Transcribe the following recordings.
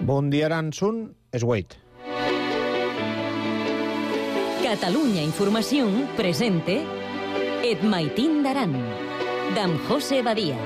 Bon dia, Aransun, és Wade. Catalunya Informació presente Et Maitín d'Aran, d'en José Badia.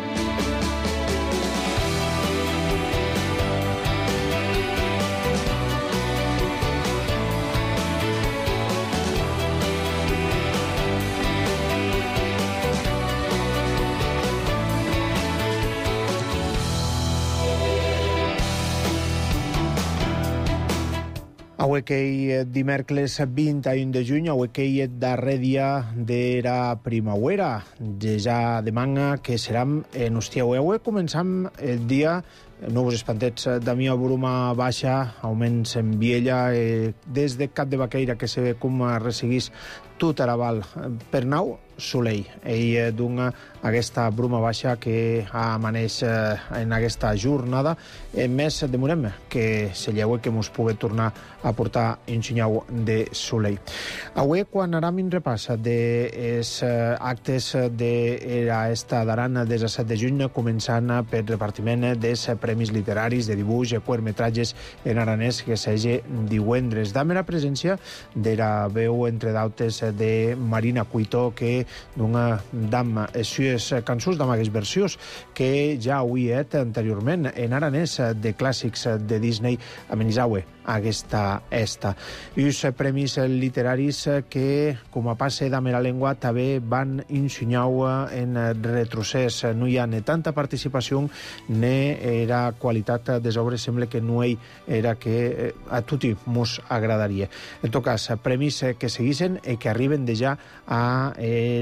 Avui que dimecres 21 de juny, avui que darrer dia d'era primavera, ja de manga que seram en hostiau. Avui començam el dia, no vos espantets, de mi bruma baixa, augments en viella, des de Cap de Baqueira que se ve com resseguís tot Araval per nau, Soleil. Ell dona aquesta bruma baixa que amaneix en aquesta jornada. Més demorem que se lleue que mos pugui tornar a portar un xinyau de Soleil. Avui, quan anem un repàs dels actes d'esta d'Aran des del 7 de juny, començant per repartiment dels premis literaris de dibuix i curtmetratges en aranès que s'hagi divendres. Dame la presència de la veu, entre d'altres, de Marina Cuito, que d'una dama sues cançons d'amagues versions que ja ho he anteriorment en aranès de clàssics de Disney a Menisaue, aquesta esta. I els premis literaris que, com a passe d'ame la llengua, també van ensenyar en retrocés. No hi ha ni tanta participació ni era qualitat des obres, sembla que no hi era que a tutti mos agradaria. En tot cas, premis que seguissin i que arriben de ja a era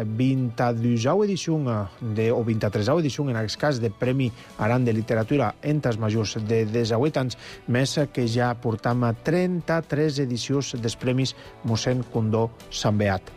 22a edició o 23a edició, en aquest cas, de Premi Aran de Literatura entes majors de 18 anys, més que ja portam 33 edicions dels Premis Mossèn Condó Sant Beat.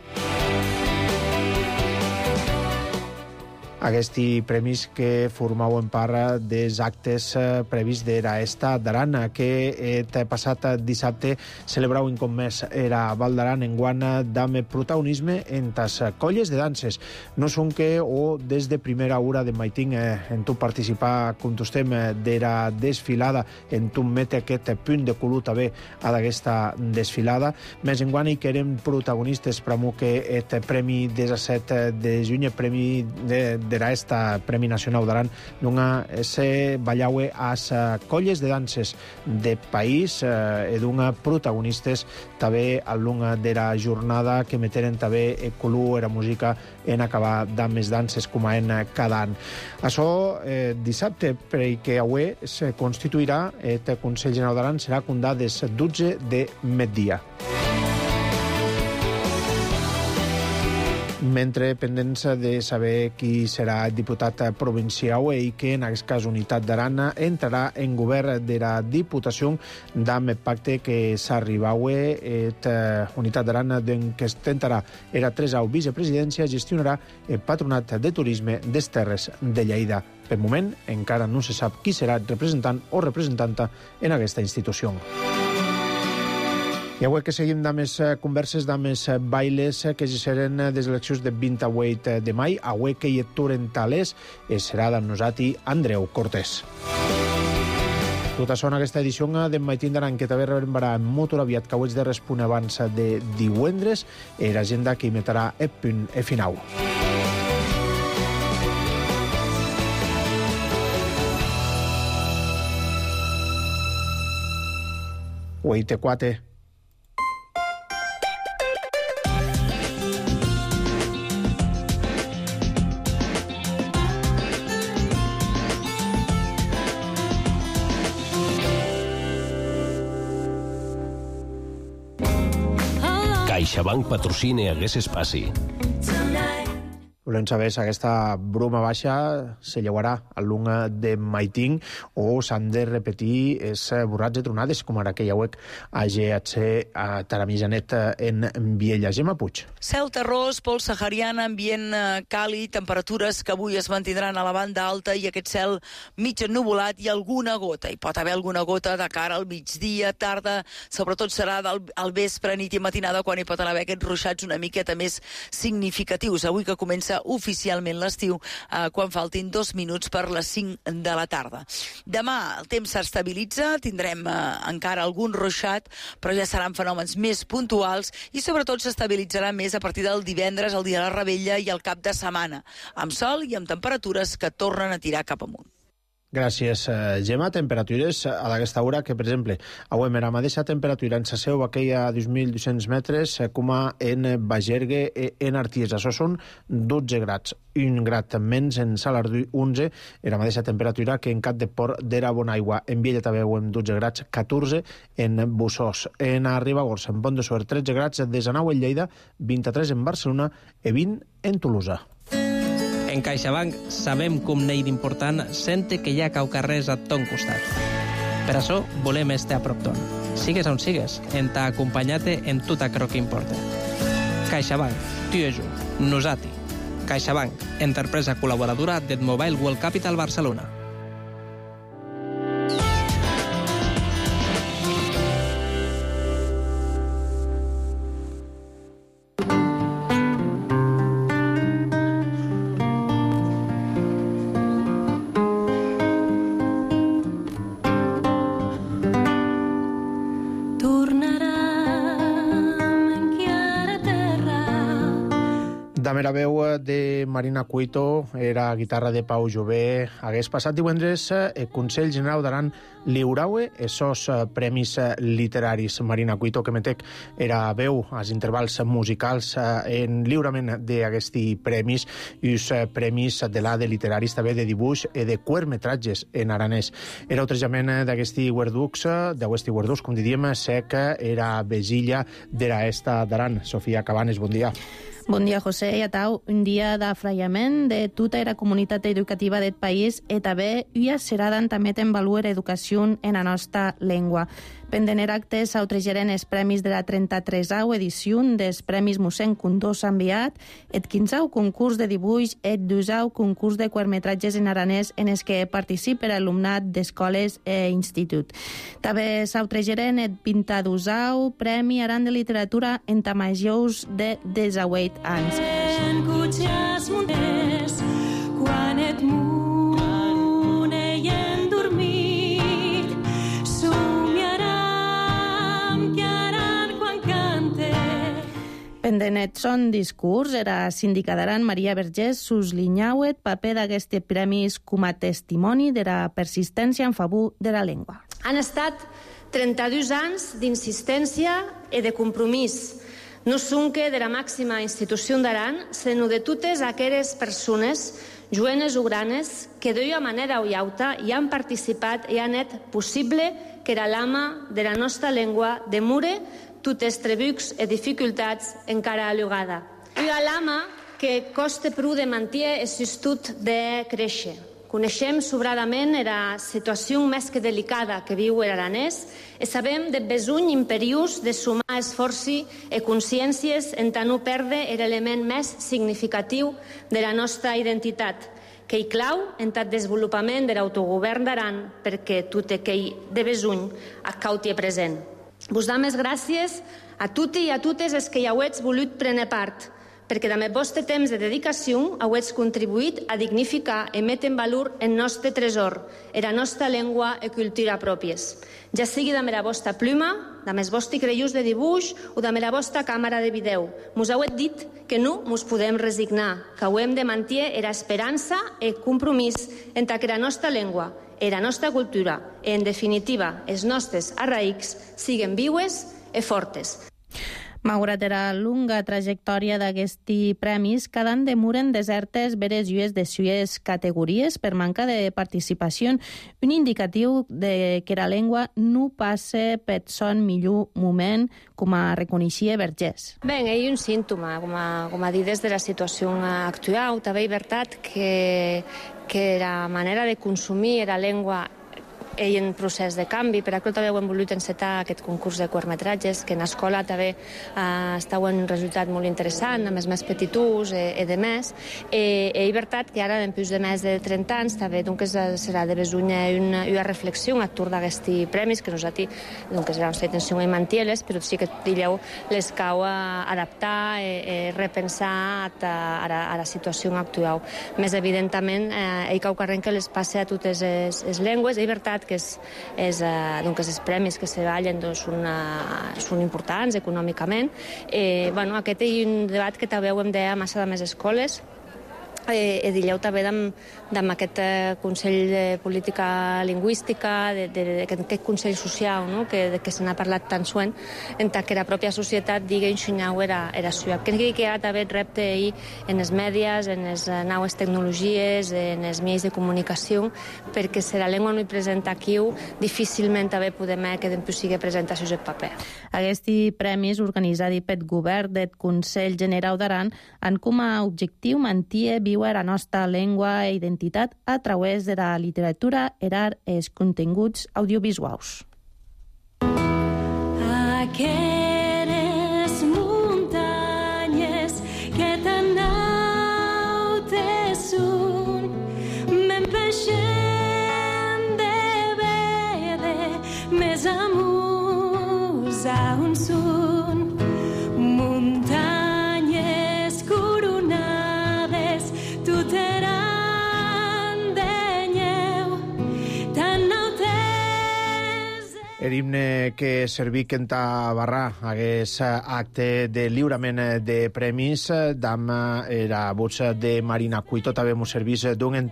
Aquests premis que formaven part dels actes previs d'era esta d'Aran, que el passat dissabte celebraven com més era Val d'Aran enguant d'ame protagonisme en tas colles de danses. No són que o des de primera hora de Maitín en tu participar com tostem d'era desfilada, en tu mete aquest punt de color també a d'aquesta desfilada. Més enguant hi que eren protagonistes per que el premi 17 de juny, el premi d'era esta Premi Nacional d'Aran, d'una se ballaue as colles de danses de país e d'una protagonistes també a l'una d'era jornada que meteren també el color, era música en acabar d'amb més danses com a en cada any. Això dissabte, perquè avui se constituirà el Consell General d'Aran, serà condat des 12 de migdia. Mentre pendents de saber qui serà el diputat provincial i que en aquest cas Unitat d'Aran entrarà en govern de la Diputació d'amb el pacte que s'arribaue Unitat d'Aran que tentarà era 3a vicepresidència, gestionarà el Patronat de Turisme des Terres de Lleida. Per moment encara no se sap qui serà el representant o representanta en aquesta institució. I avui que seguim de més converses, de més bailes que seran des eleccions de 28 de maig, avui que hi aturen talers, serà d'en nosaltres Andreu Cortés. Tot això en aquesta edició de Maitín d'Aran, que també rebrà molt aviat, que ho ets de respondre abans de divendres, l'agenda que emetrà el punt final. UIT4. CaixaBank patrocina aquest espai. Volem saber si aquesta bruma baixa se llevarà a l'una de Maitín o s'han de repetir els borrats de tronades, com ara que ja ho a GHC a Taramijanet en Viella. Gemma Puig. Cel terrós, pols sahariana, ambient càlid, temperatures que avui es mantindran a la banda alta i aquest cel mig ennuvolat i alguna gota. Hi pot haver alguna gota de cara al migdia, tarda, sobretot serà al vespre, nit i matinada, quan hi pot haver aquests ruixats una miqueta més significatius. Avui que comença oficialment l'estiu quan faltin 2 minuts per les 5 de la tarda. Demà el temps s'estabilitza, tindrem encara algun ruixat, però ja seran fenòmens més puntuals i sobretot s'estabilitzarà més a partir del divendres, el dia de la Rebella i el cap de setmana, amb sol i amb temperatures que tornen a tirar cap amunt. Gràcies, Gemma. Temperatures a aquesta hora que, per exemple, avui la mateixa temperatura en Saseu, aquella a 2.200 metres, com en Bagergue, en Arties. Això són 12 grads. 1 grad menys en Salardú, 11, la mateixa temperatura que en Cap de Port d'Era Bonaigua. En Viella també en 12 grads, 14 en Bussós. En Ribagorça, en Pont de Suert, 13 grads, de Sanau en Lleida, 23 en Barcelona i 20 en Tolosa. En CaixaBank sabem com n'hi d'important sente que hi ha caucarrers a ton costat. Per això volem estar a prop ton. Sigues on sigues, en t'ha acompanyat-te en tot aquello que importa. CaixaBank, tu i jo, nosati. CaixaBank, empresa col·laboradora del Mobile World Capital Barcelona. La veu de Marina Cuito era guitarra de Pau Jové. Hagués passat divendres el Consell General d'Aran lliuraue esos premis literaris. Marina Cuito, que metec era veu als intervals musicals en lliurament d'aquests premis i els premis de l'ADE literaris també de dibuix i de curtmetratges en aranès. Era otrejament d'aquests guarducs, com diríem, sec era Vesilla d'era esta d'Aran. Sofia Cabanes, bon dia. Bon dia, José, i a tau. Un dia d'afraiament de tota la comunitat educativa del país i també ua seradan també en valor educació en la nostra llengua. Pendener actes autrejaren els premis de la 33a edició dels Premis Mossèn Condós enviat, el 15au concurs de dibuix, el 12au concurs de curtmetratges en aranès en els que participa l'alumnat d'escoles i institut. També s'autrejaren el 22au Premi Aran de Literatura en tamajous de 18 anys. Quan et muneien dormit, pendenet son discurs era síndica d'Aran Maria Vergés suslinyauet paper d'aquests premis com a testimoni de la persistència en favor de la llengua. Han estat 32 anys d'insistència i de compromís, no sonque de la màxima institució d'Aran, sinó de totes aquelles persones, jovenes o granes, que d'una manera o altra hi han participat i han fet possible que era l'ama de la nostra llengua demure totes trebucs i dificultats encara allugada. Una lama que costa prou de mantenir el sustut de créixer. Coneixem sobradament la situació més que delicada que viu l'Aranès i sabem del besoll imperiós de sumar esforços i consciències en tant no perdre l'element més significatiu de la nostra identitat, que hi clau en el desenvolupament de l'autogovern d'Aran perquè tot aquell de besoll cauti present. Vos dam les gràcies a tutti i a totes els que hi hauets volut prendre part, perquè amb el vostre temps de dedicació hauets contribuït a dignificar i metre en valor el nostre tresor, la nostra llengua i cultura pròpies. Ja sigui amb la vostra pluma, amb els vostres creions de dibuix o amb la vostra càmera de vídeo. Mos hauet dit que no mos podem resignar, que hauem de mantenir l'esperança i el compromís entre la nostra llengua, la nostra cultura i, en definitiva, els nostres arraics siguen viues i fortes. Malgrat la longa trajectòria d'aquests premis, cada any demoren desertes veres llues de sues categories per manca de participació, un indicatiu de que la llengua no passa per son millor moment, com a reconeixia Vergés. Bé, hi ha un símptoma, com a dir des de la situació actual. També és veritat que la manera de consumir la llengua en procés de canvi. Per això també hem volgut encetar aquest concurs de curtmetratges, que en l'escola també està un resultat molt interessant, amb els més petitús i de més. És veritat que ara, en plus de més de 30 anys, també serà de besunya una reflexió actuar d'aquests premis, que nosaltres serà una intenció de mantenir-les, però sí que les cau adaptar i repensar a la situació actual. Més evidentment, cau que les passe a totes les llengües. És veritat que els premis que se vallen són importants econòmicament. Aquest és un debat que també hem de massa de més escoles. Dilleu també amb aquest Consell de Política Lingüística, aquest Consell Social, que se n'ha parlat tan suent, en que la pròpia societat digui ensenyau era suya. Crec que ara també el repte en els mèdies, en les noves tecnologies, en els mitjans de comunicació, perquè si la llengua no hi presenta aquí, difícilment també podem que després sigui presenta en paper. Aquests premis organitzats pel govern del Consell Generau d'Aran han com a objectiu mantenir viu la nostra llengua i identitat a través de la literatura i els continguts audiovisuals. Aquelles muntanyes que tan altes són, m'empeixen de veure més amunt a on són. Muntanyes coronades tuteran de nyeu, tan altes. El himne que serví en Tabarrà hagués acte de lliurament de premis d'am era voz de Marina Cuito. També mos servís d'un en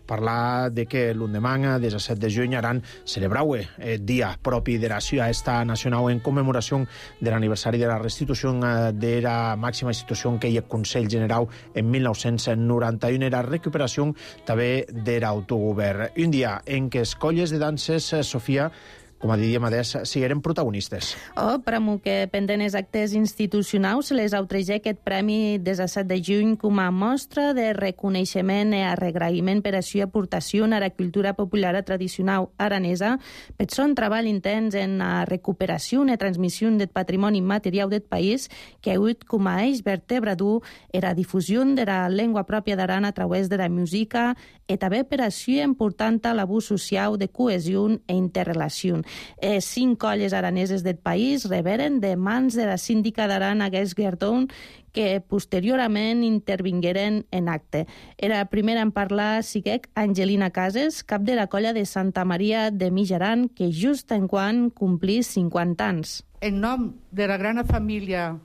parlar de que l'endemà, 17 de juny, aran celebraue el dia propi de la ciutat nacional en commemoració de l'aniversari de la restitució de la màxima institució que hi ha Consell Generau en 1991, era recuperació també de l'autogovern. Un dia en què escolles de danses, Sofia, com a diríem adés, sigueren protagonistes. Pramo que pendent els actes institucionals les autrege aquest premi 17 de juny com a mostra de reconeixement i agraïment per a la aportació a la cultura popular tradicional aranesa, per son treball intens en la recuperació i transmissió del patrimoni material del país, que ha hagut com a eix vertebrador la difusió de la llengua pròpia d'Aran a través de la música i també per a la important l'abús social de cohesió i interrelació. 5 colles araneses del país reberen de mans de la síndica d'Aran aquest guerdó, que posteriorment intervingueren en acte. Era primera en parlar siguec Angelina Cases, cap de la colla de Santa Maria de Mitjaran, que just en quan complís 50 anys. En nom de la gran família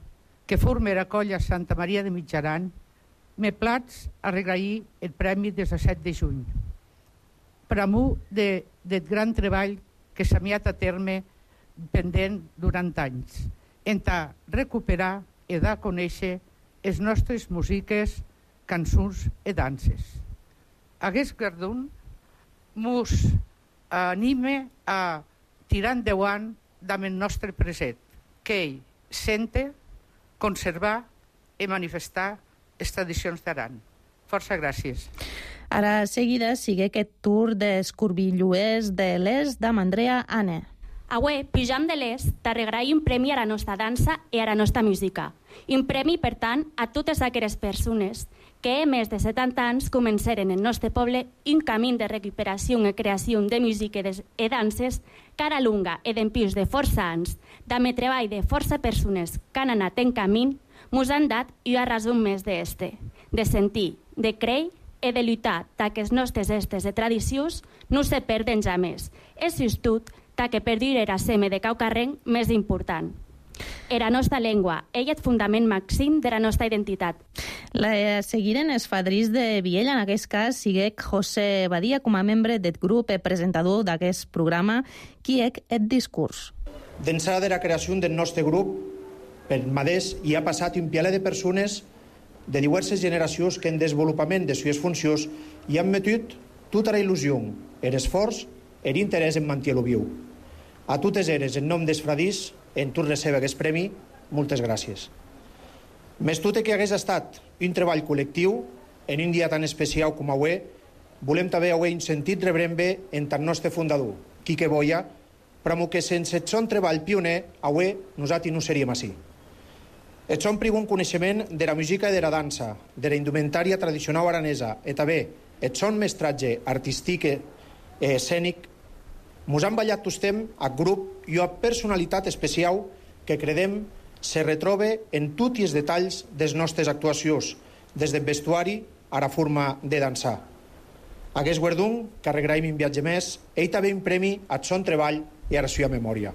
que forma la colla Santa Maria de Mitjaran, me plats a regair el premi 17 de juny. Per amor del gran treball que s'ha miat a terme pendent durant anys, en recuperar i de conèixer les nostres músiques, cançons i danses. Aquest guardó mos anima a tirar endavant amb el nostre present, que ell sente, conservar i manifestar les tradicions d'Aran. Força gràcies. Ara seguida sigue aquest tour d'escorbilluers de l'est d'Am Andrea Anne. Avui, pujam de l'est, t'arregarai un premi a la nostra dansa i a la nostra música. Un premi, per tant, a totes aquelles persones que més de 70 anys començaren en el nostre poble un camí de recuperació i creació de música i danses cara lunga i d'empius de força anys, d'ame treball de força persones que han anat en camí, mos han dat una raó més d'este, de sentir, de creure i de lluitar que els nostres estes de tradicions no se perden jamais. És just que perdurar la seme de caucarrenc més important. Era nostra llengua, ell és fundament màxim de la nostra identitat. La seguiren els fadrins de Viella, en aquest cas, siguec José Badia, com a membre del grup i presentador d'aquest programa, qui és el discurs. D'ençà de la creació del nostre grup, per Madès hi ha passat un pialet de persones de diverses generacions que en desenvolupament de les funcions hi han metut tota la il·lusió, l'esforç i l'interès en mantenir-lo viu. A totes eres, en nom dels fradís, en tu recebe aquest premi, moltes gràcies. Més tot que hagués estat un treball col·lectiu, en un dia tan especial com avui, volem també avui un sentit reverent en el nostre fundador, Quique Boia, però que sense el son treball pioner, avui nosaltres no seríem així. El son prigon coneixement de la música i de la dansa, de la indumentària tradicional aranesa, i també el son mestratge artístic i escènic, mos han ballat tostem a grup i a personalitat especial que credem se retroba en tots els detalls dels nostres actuacions, des del vestuari a la forma de dansar. Aquest guardó que arregraim un viatge més, ell també un premi a son treball i a la seva memòria.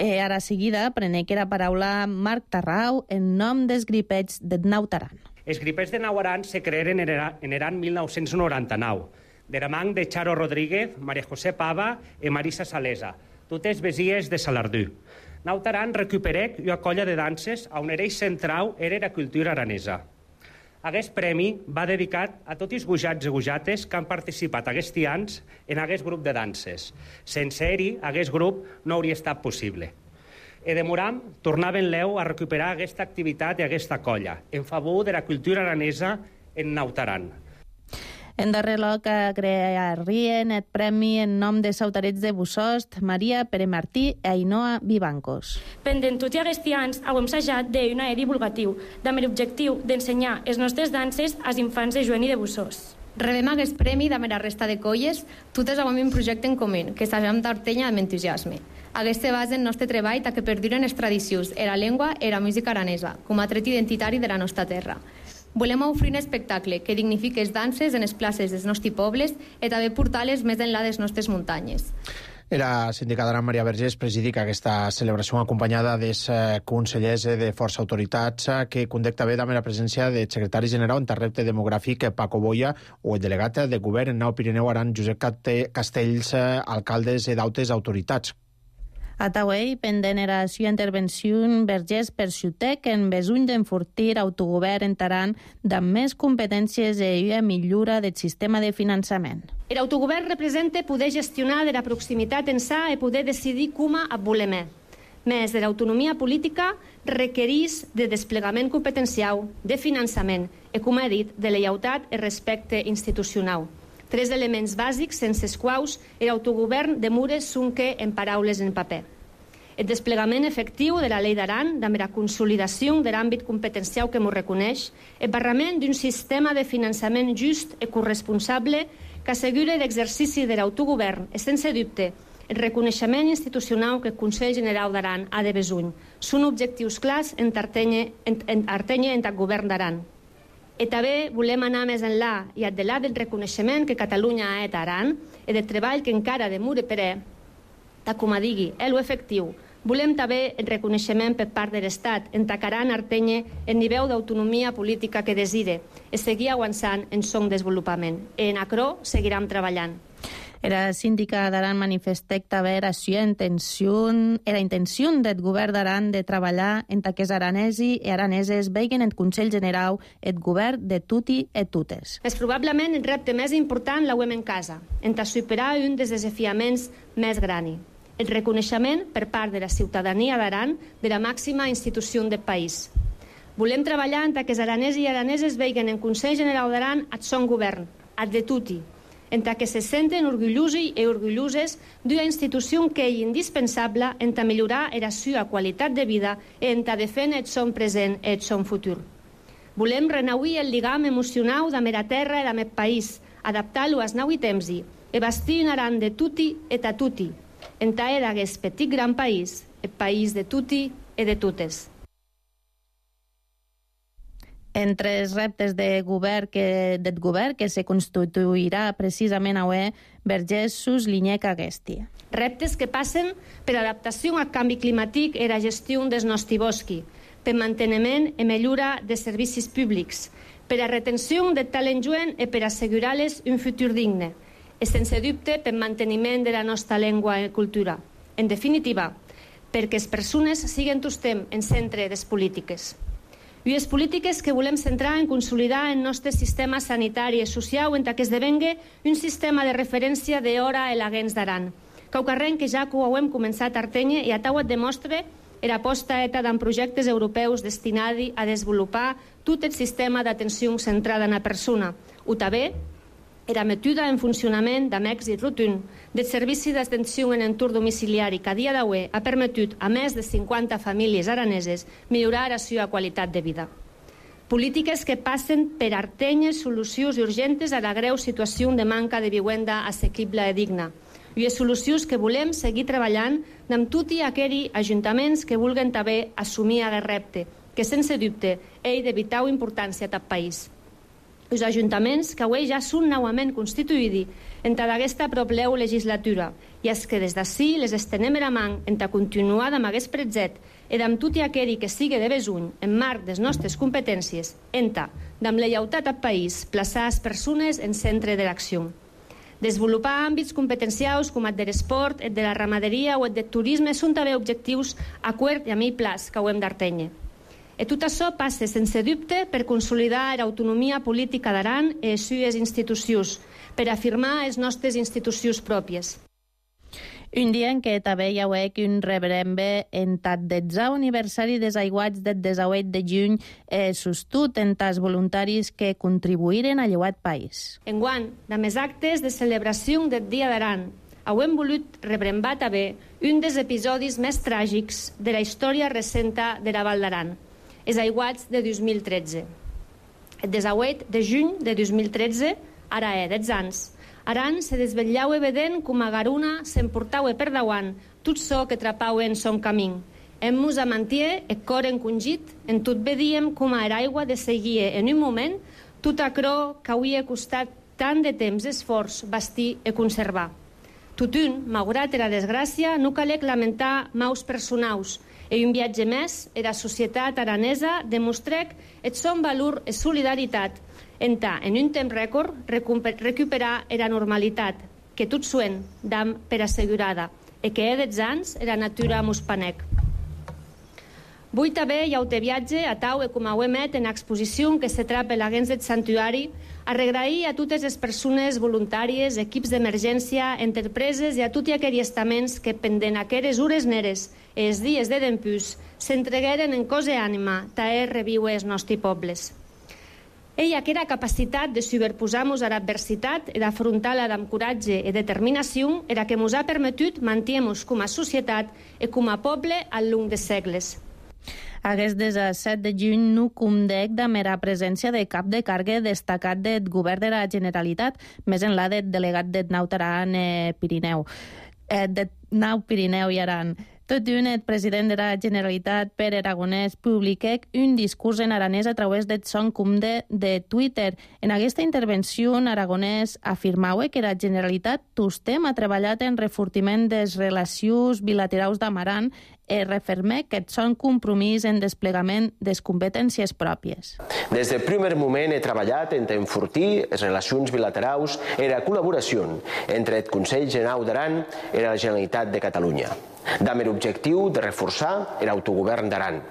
Ara seguida prenec la paraula Marc Tarrau en nom dels gripets de Nautaran. Els gripets de Nautaran se creeren en l'any 1999, de la mà de Charo Rodríguez, María José Pava i Marisa Salesa, totes besies de Salardú. Nautaran recuperec una colla de danses on l'eix central era la cultura aranesa. Aquest premi va dedicat a tots els gujats i gujates que han participat aquests anys en aquest grup de danses. Sense ell, aquest grup no hauria estat possible. E demoram tornaven l'eu a recuperar aquesta activitat i aquesta colla, en favor de la cultura aranesa en Nautaran. En darrer lloc agrairien el premi en nom de sautarets de Bussost, Maria Pere Martí i Ainhoa Vivancos. Pendent tots aquests anys, hem assajat d'una divulgatiu, amb l'objectiu d'ensenyar les nostres danses als infants de Joan i de Bussost. Rebem aquest premi amb la resta de colles, totes amb un projecte en comú, que s'ajam d'Artenya amb entusiasme. Aquest se basa en el nostre treball que perduren les tradicions, la llengua i la música aranesa, com a tret identitari de la nostra terra. Volem oferir un espectacle que dignifiqui les danses en les places dels nostres pobles i també portar-les més enllà de les nostres muntanyes. Era sindicada Maria Vergés presidic aquesta celebració acompanyada dels consellers de força autoritats que conduc també amb la presència del secretari general en repte demogràfic Paco Boia o el delegat de govern en Nau Pirineu Aran Josep Castells, alcaldes d'autes autoritats. Atauei, pendent era la seva intervenció, Vergés perxutec en besuny d'enfortir autogovern en Taran amb més competències i una millora del sistema de finançament. L'autogovern representa poder gestionar de la proximitat ençà i poder decidir com volem. Més de l'autonomia política requereix de desplegament competencial, de finançament i, com he dit, de lleialtat i respecte institucional. 3 elements bàsics sense els quals l'autogovern demura sonque en paraules en paper. El desplegament efectiu de la llei d'Aran, amb la consolidació de l'àmbit competencial que m'ho reconeix, el barrament d'un sistema de finançament just i corresponsable que assegura l'exercici de l'autogovern i, sense dubte, el reconeixement institucional que el Consell General d'Aran ha de besuny. Són objectius clars en Artenya en el govern d'Aran. I també volem anar més enllà i adelar del reconeixement que Catalunya ha a Aran i del treball que encara demura per com digui, l'efectiu. Volem també el reconeixement per part de l'Estat en Aran Artenya el nivell d'autonomia política que desire i seguir avançant en son desenvolupament. I en acro seguirem treballant. Era síndica d'Aran manifestec també la intenció del govern d'Aran de treballar en que els aranesi i araneses veguen el Consell General el govern de tutti e totes. És probablement el repte més important l'hauem en casa, en superar un dels desafiaments més grans, el reconeixement per part de la ciutadania d'Aran de la màxima institució del país. Volem treballar en que els aranesos i araneses veguen el Consell General d'Aran el son govern, el de tutti, en que se senten orgullosos i orgulloses d'una institució que és indispensable en millorar la seva qualitat de vida i en defendre el son present i el son futur. Volem renauir el lligam emocional amb la terra i amb el país, adaptar-lo als nous temps i bastir un Aran de tutti e a tutti, en d'aquest petit gran país, el país de tutti e de totes. Entre els reptes del govern que se constituirà precisament avui, Vergés suslinyec aquesta. Reptes que passen per l'adaptació al canvi climàtic i la gestió dels nostres boscos, per manteniment i millora de servicis públics, per la retenció de talent jovent i per assegurar-les un futur digne, i sense dubte per manteniment de la nostra llengua i cultura. En definitiva, perquè les persones siguin tostem en centre de les polítiques. I les polítiques que volem centrar en consolidar el nostre sistema sanitari i social en que esdevenga un sistema de referència d'hora a l'Agens d'Aran. Caucarrenc que ja ho hem començat a Artenya i a Tauet demostra l'aposta ETA en projectes europeus destinats a desenvolupar tot el sistema d'atenció centrada en la persona. O també Era metuda en funcionament amb èxit rotund del servici d'atenció en entorn domiciliari que a dia d'avui ha permetut a més de 50 famílies araneses millorar la seva qualitat de vida. Polítiques que passen per artenyes solucions urgentes a la greu situació de manca de vivenda assequible i digna. I les solucions que volem seguir treballant amb tots aquells ajuntaments que vulguin també assumir aquest repte, que sense dubte és de vital importància a tot país. Els ajuntaments que avui ja són novament constituïts en aquesta propera legislatura i els que des d'ací les estenem la mà en continuar amb aquest projecte i amb tot aquell que sigui de besuny en marc de les nostres competències, amb lleialtat al país, plaçar les persones en centre de l'acció. Desenvolupar àmbits competencials com el de l'esport, el de la ramaderia o el del turisme són també objectius a curt i a mitjà plaç que ho hem d'atènyer. I tot això passa, sense dubte, per consolidar l'autonomia política d'Aran i les seves institucions, per afirmar les nostres institucions pròpies. Un dia en què també hi haurà un rebrembe en el 10è aniversari dels aiguats del 18 de juny sostut en els voluntaris que contribuïren a llevar el país. Enguany, amb els actes de celebració del Dia d'Aran, hem volut rebrembar també un dels episodis més tràgics de la història recent de la Val d'Aran, els aiguats de 2013. El 18 de juny de 2013, ara 10 anys, Aran se desvetllava evident com a Garuna s'emportava per davant tot so que trapava en son camí. Hem-nos a mantier el cor encongit, en tot vedíem com a l'aigua de seguir en un moment tot acrò que havia costat tant de temps esforç bastir i conservar. Totun, malgrat la desgràcia, no calec lamentar maus personals, i un viatge més, la societat aranesa demostrà el son valor i solidaritat en un temps rècord, recuperar la normalitat, que tot suen dam per assegurada, i que dels anys la natura mos panec. Vull també i aute viatge a tau e com ho emet en exposició que se trapa l'agens del santuari a regrair a totes les persones voluntàries, equips d'emergència, empreses i a tots aquells estaments que pendent aquelles hores neres i els dies de dempús s'entregueren en cos i ànima taer reviure els nostres pobles. Ella aquella capacitat de superposar-nos a l'adversitat i d'afrontar-la amb coratge i determinació era que ens ha permetut mantenir-nos com a societat i com a poble al llarg de segles. Aguest 17 de juny no condec de mera presència de cap de càrrega destacat del govern de la Generalitat, més enllà del delegat del Nau Aran Pirineu. De Nau Pirineu i Aran. Tot un, el president de la Generalitat, Pere Aragonès, publiquà un discurs en aranès a través del son compte de Twitter. En aquesta intervenció, Aragonès afirmava que la Generalitat tostem ha treballat en refortiment de les relacions bilaterals d'Amaran i refermà que són compromís en desplegament de les competències pròpies. Des del primer moment he treballat en enfortir les relacions bilaterals i la col·laboració entre el Consell Generau d'Aran i la Generalitat de Catalunya, amb l'objectiu de reforçar l'autogovern d'Aran.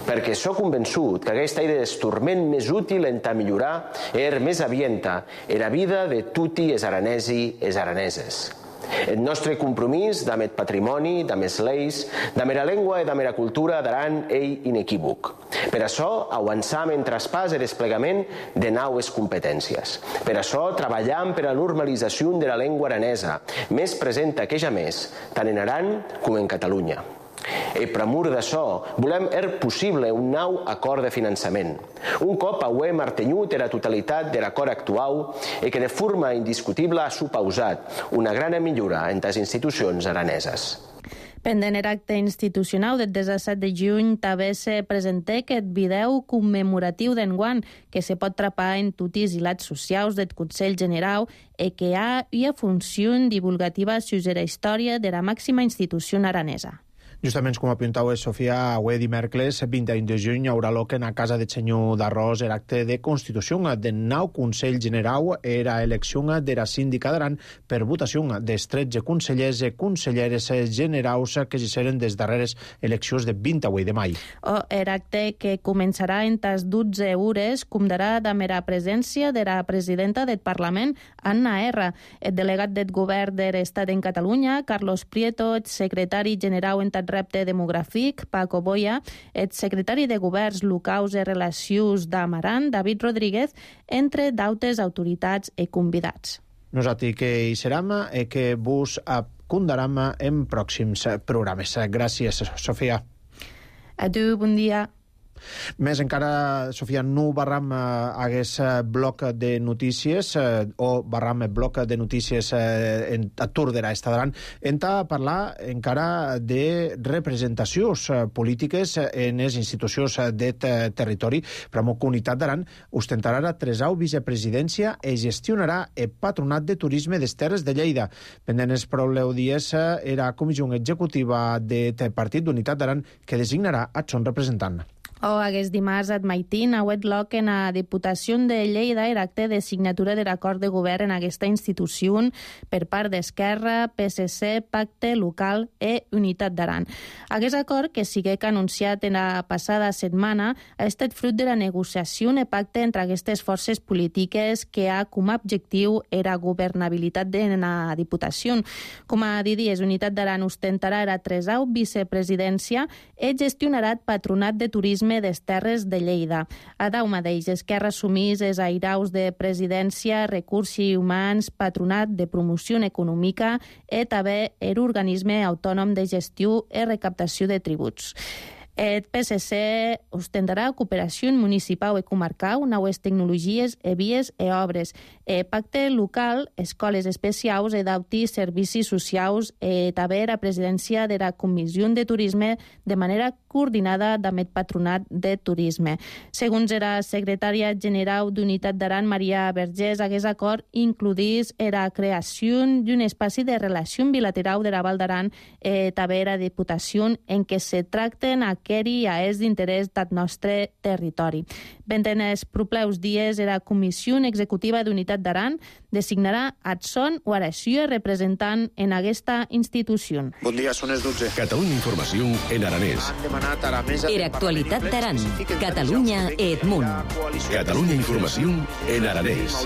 Perquè sóc convençut que aquesta és l'instrument més útil en millorar i més avienta la vida de tots els aranesos i les araneses. El nostre compromís amb el patrimoni, amb les lleis, amb la llengua i amb la cultura d'Aran és inequívoc. Per això avançam en traspàs i desplegament de noves competències. Per això treballem per a la normalització de la llengua aranesa, més present que ja més, tant en Aran com en Catalunya. I per amor d'això, volem possible un nou acord de finançament. Un cop hem mantingut la totalitat de l'acord actual i que de forma indiscutible ha suposat una gran millora en les institucions araneses. Pendent l'acte institucional del 17 de juny, també se presentà aquest vídeo commemoratiu d'enguany que se pot trapar en tots els hilats socials del Consell Generau i que hi ha funció divulgativa sobre la història de la màxima institució aranesa. Justament com apuntava Sofia, avui dimecres, 21 de juny, hi haurà lloc en la Casa del Senyor d'Arròs l'acte de constitució del nou Consell Generau i la elecció de la síndica d'Aran per votació dels 13 consellers i conselleres generaus que s'hicieron des darreres eleccions de 28 de maig. L'acte que començarà en les 12 hores comptarà amb la presència de la presidenta del Parlament, Anna R., el delegat del govern de l'Estat en Catalunya, Carlos Prieto, el secretari general en repte demogràfic, Paco Boya, el secretari de Governs Locals i Relacions d'Amaran, David Rodríguez, entre d'altres autoritats i convidats. Nosaltres que hi serem i que vos acondaram en pròxims programes. Gràcies, Sofia. Adéu, bon dia. Més encara, Sofia, no barram hagués bloc de notícies o barram bloc de notícies a Tordera estaran a parlar encara de representacions polítiques en les institucions d'aquest territori. Per la Comunitat d'Aran ostentarà la 3a vicepresidència i gestionarà el Patronat de Turisme des Terres de Lleida. Pendent els prou dies era comissió executiva del Partit d'Unitat d'Aran que designarà el seu representant. Aquest dimarts at Maitín, a Wetlock, en la Diputació de Lleida, era acte de signatura de l'acord de govern en aquesta institució per part d'Esquerra, PSC, Pacte Local i Unitat d'Aran. Aquest acord, que sigué anunciat en la passada setmana, ha estat fruit de la negociació i pacte entre aquestes forces polítiques que ha com a objectiu la governabilitat de la Diputació. Com a dies, Unitat d'Aran ostentarà la 3a vicepresidència i gestionarà el Patronat de Turisme des Terres de Lleida. A dau mateix, Esquerra assumís els airaus de presidència, recursos humans, patronat de promoció econòmica i també l'organisme autònom de gestió i recaptació de tributs. El PSC ostentarà cooperació municipal i comarcal, noves tecnologies, vies i obres. Pacte local, escoles especials i d'altres servicis socials i també la presidència de la Comissió de Turisme de manera coordinada amb el Patronat de Turisme. Segons la secretària general d'Unitat d'Aran, Maria Vergés, aquest acord includís la creació d'un espai de relació bilateral de la Val d'Aran i també la Diputació en què se tracten i a és d'interès del nostre territori. En els propers dies, la Comissió Executiva d'Unitat d'Aran designarà Adson o Aració representant en aquesta institució. Bon dia, són les 12. Catalunya Informació en aranès. Era actualitat d'Aran, Catalunya i Edmunt. Catalunya Informació en aranès.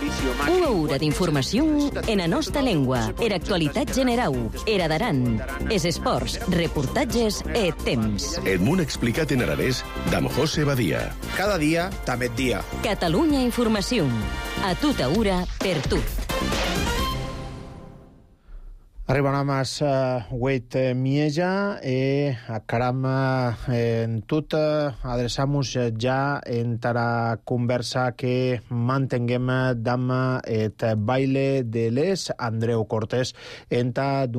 Una hora d'informació en la nostra llengua. Era actualitat general. Era d'Aran. És esports, reportatges i temps. Edmunt explicat en aranès d'en José Badia. Cada dia, també dia. Catalunya Informació. A tota hora, per tu. Arribarem a Huet Mieja i acaram en tot adreçam-nos ja entre la conversa que mantenguem amb el baile de les Andreu Cortés entre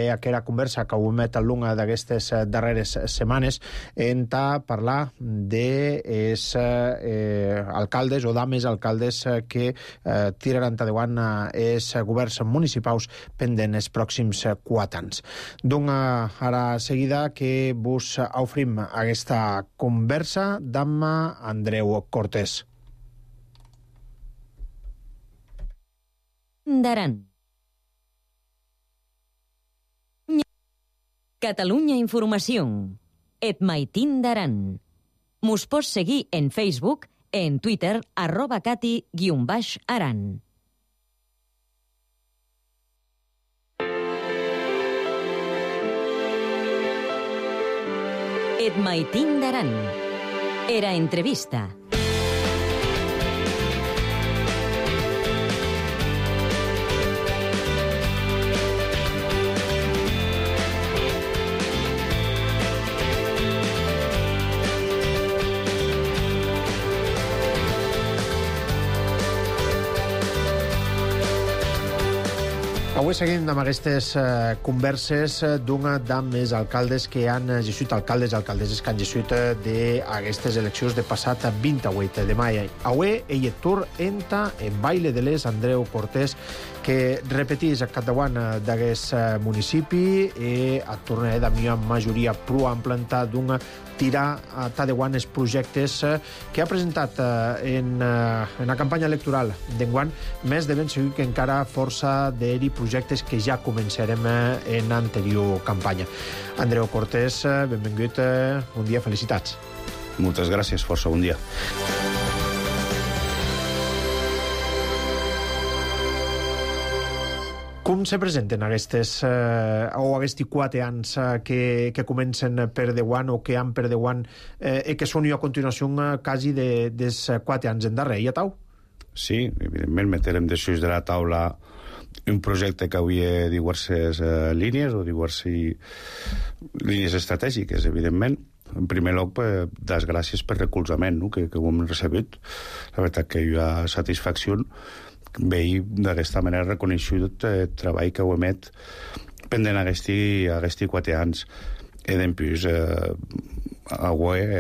aquella conversa que ho met a l'una d'aquestes darreres setmanes entre parlar dels alcaldes o dames alcaldes que tiraran endavant els governs municipals pendents pròxims 4 anys. Donc, ara seguida que vos ofrim aquesta conversa amb Andreu Cortés. D'Aran. Catalunya Informació. Et Maitín d'Aran. Mos pots seguir en Facebook, en Twitter, @cati_aran. Et Maitín d'Aran. Era entrevista. Avui seguim amb aquestes converses d'una dels alcaldes que han gessuit, alcaldesses que han gessuit d'aquestes eleccions de passat 28 de maig. Avui ell et tur entra en baile de les Andreu Cortés, que repetís a capdavant d'aquest municipi i a tornar de mi amb majoria prou ampla d'un tirar a Tadeuan els projectes que ha presentat en la campanya electoral d'enguany, més de ben segur que encara força d'eri projectes que ja començarem en l'anterior campanya. Andreu Cortés, benvingut, bon dia, felicitats. Moltes gràcies, força bon dia. Com se presenten aquests 4 anys que comencen per Déu o que han per Déu i que són a continuació quasi dels 4 anys en darrer, ja tau? Sí, evidentment meterem després de la taula un projecte que havia diverses línies o diverses línies estratègiques, evidentment. En primer lloc, les gràcies per recolzament, no? que ho hem recebut. La veritat que hi ha satisfacció veure d'aquesta manera reconeixut el treball que ho emet pendent aquests 4 anys. I després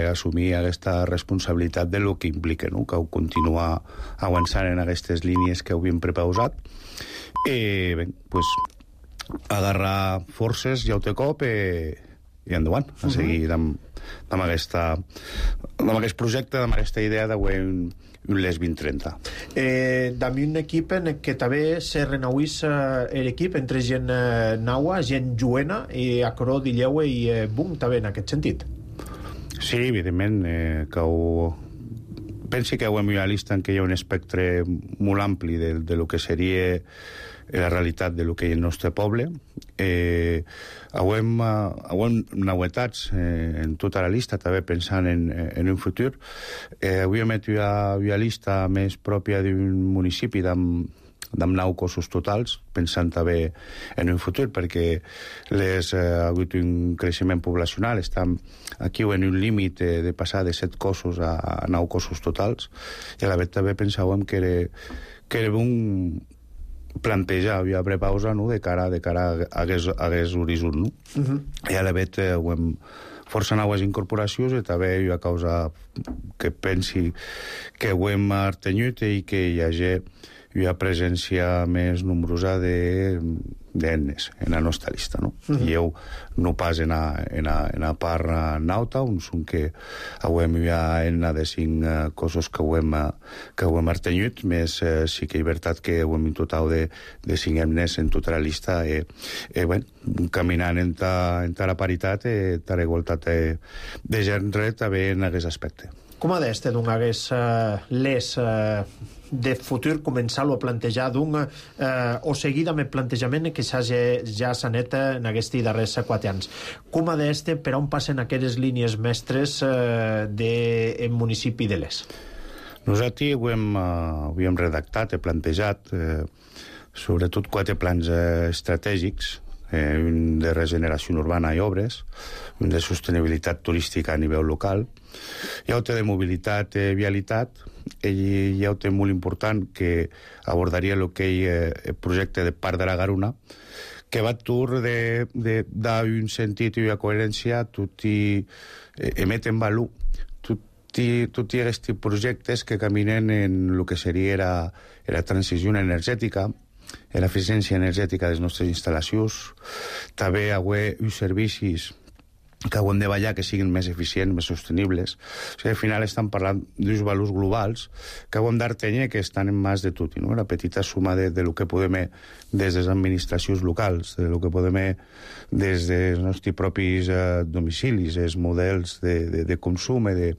assumir aquesta responsabilitat de lo que implica, no? Que ho continuar avançant en aquestes línies que havíem prepausat. I bé, pues, agarrar forces i autocop i endavant, a seguir amb aquest projecte, amb aquesta idea de un LES 2030. També un equip en què també se renauís l'equip entre gent naua, gent juena i acró d'Illeue i Bum, també en aquest sentit. Sí, evidentment, que pensi que ho hem vist en què hi ha un espectre molt ampli de lo que seria la realitat de lo que hi ha el nostre poble. Ho hem novetats en tota la llista, també pensant en un futur. Avui hem fet una llista més pròpia d'un municipi amb 9 cossos totals, pensant també en un futur, perquè ha hagut un creixement poblacional, estem aquí en un límit de passar de 7 cossos a 9 cossos totals, i a la vegada també pensàvem que era un plantejar una prepausa, no? de cara a aquest horitzó. No? I a la vegada ho hem força noves incorporacions i també hi ha causa que pensi que ho hem artenyut i que hi hagi una presència més nombrosa d'etnes en la nostra llista, no? I jo no pas en a part nauta, on són que hem una de 5 coses que ho hem artenyut, més sí que és veritat que ho hem intentat de 5 etnes en tota la llista caminant entre la paritat i la igualtat de gènere també en aquest aspecte. Com ha d'este d'un hagués les de futur començar-lo a plantejar o seguir amb el plantejament que ja s'ha net en aquests darrers 4 anys. Com ha d'este per on passen aquestes línies mestres del municipi de Les? Nosaltres ho hem redactat, plantejat sobretot 4 plans estratègics, un de regeneració urbana i obres, un de sostenibilitat turística a nivell local, hi ha un de mobilitat i vialitat, i hi ha un tema molt important que abordaria el projecte de Parc de la Garona, que va d'un sentit i una coherència, tot i emet en valor tots aquests projectes que caminen en el que seria la transició energètica, l'eficiència energètica de les nostres instal·lacions, també haver uns servicis que ho hem de ballar que siguin més eficients, més sostenibles. O sigui, al final estan parlant d'uns valors globals que ho hem d'artenyer que estan en mans de tot, no? La petita suma de lo que podem des de les administracions locals, de lo que podem des dels nostres propis domicilis, els models de consum i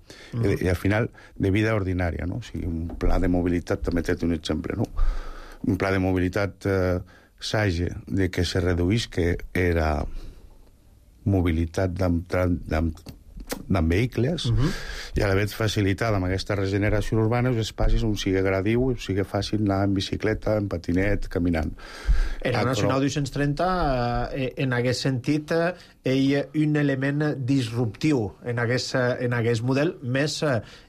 al final de vida ordinària, no? O sigui, un pla de mobilitat, també té un exemple, no? Un pla de mobilitat sage de que se reduís, que era mobilitat amb vehicles, i a la vegada facilitada amb aquesta regeneració urbana els espais on sigui gradiu, on sigui fàcil anar en bicicleta, en patinet, caminant. En la Nacional 230, en aquest sentit, hi ha un element disruptiu en aquest model, més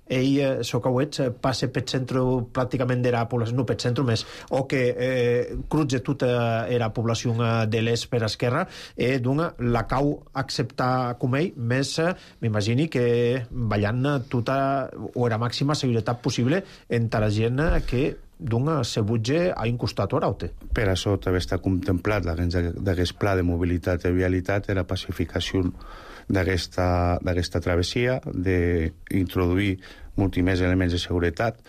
Socauets passa pel centre pràcticament de la població, no pel centre més, o que crutge tota la població de l'est per esquerra, la cau acceptar com ell, més m'imagini que ballant tota o la màxima seguretat possible entre la gent que se butge a un costat o a l'altre. Per això també està contemplat d'aquest pla de mobilitat i vialitat la pacificació d'aquesta travessia, d'introduir molts més elements de seguretat.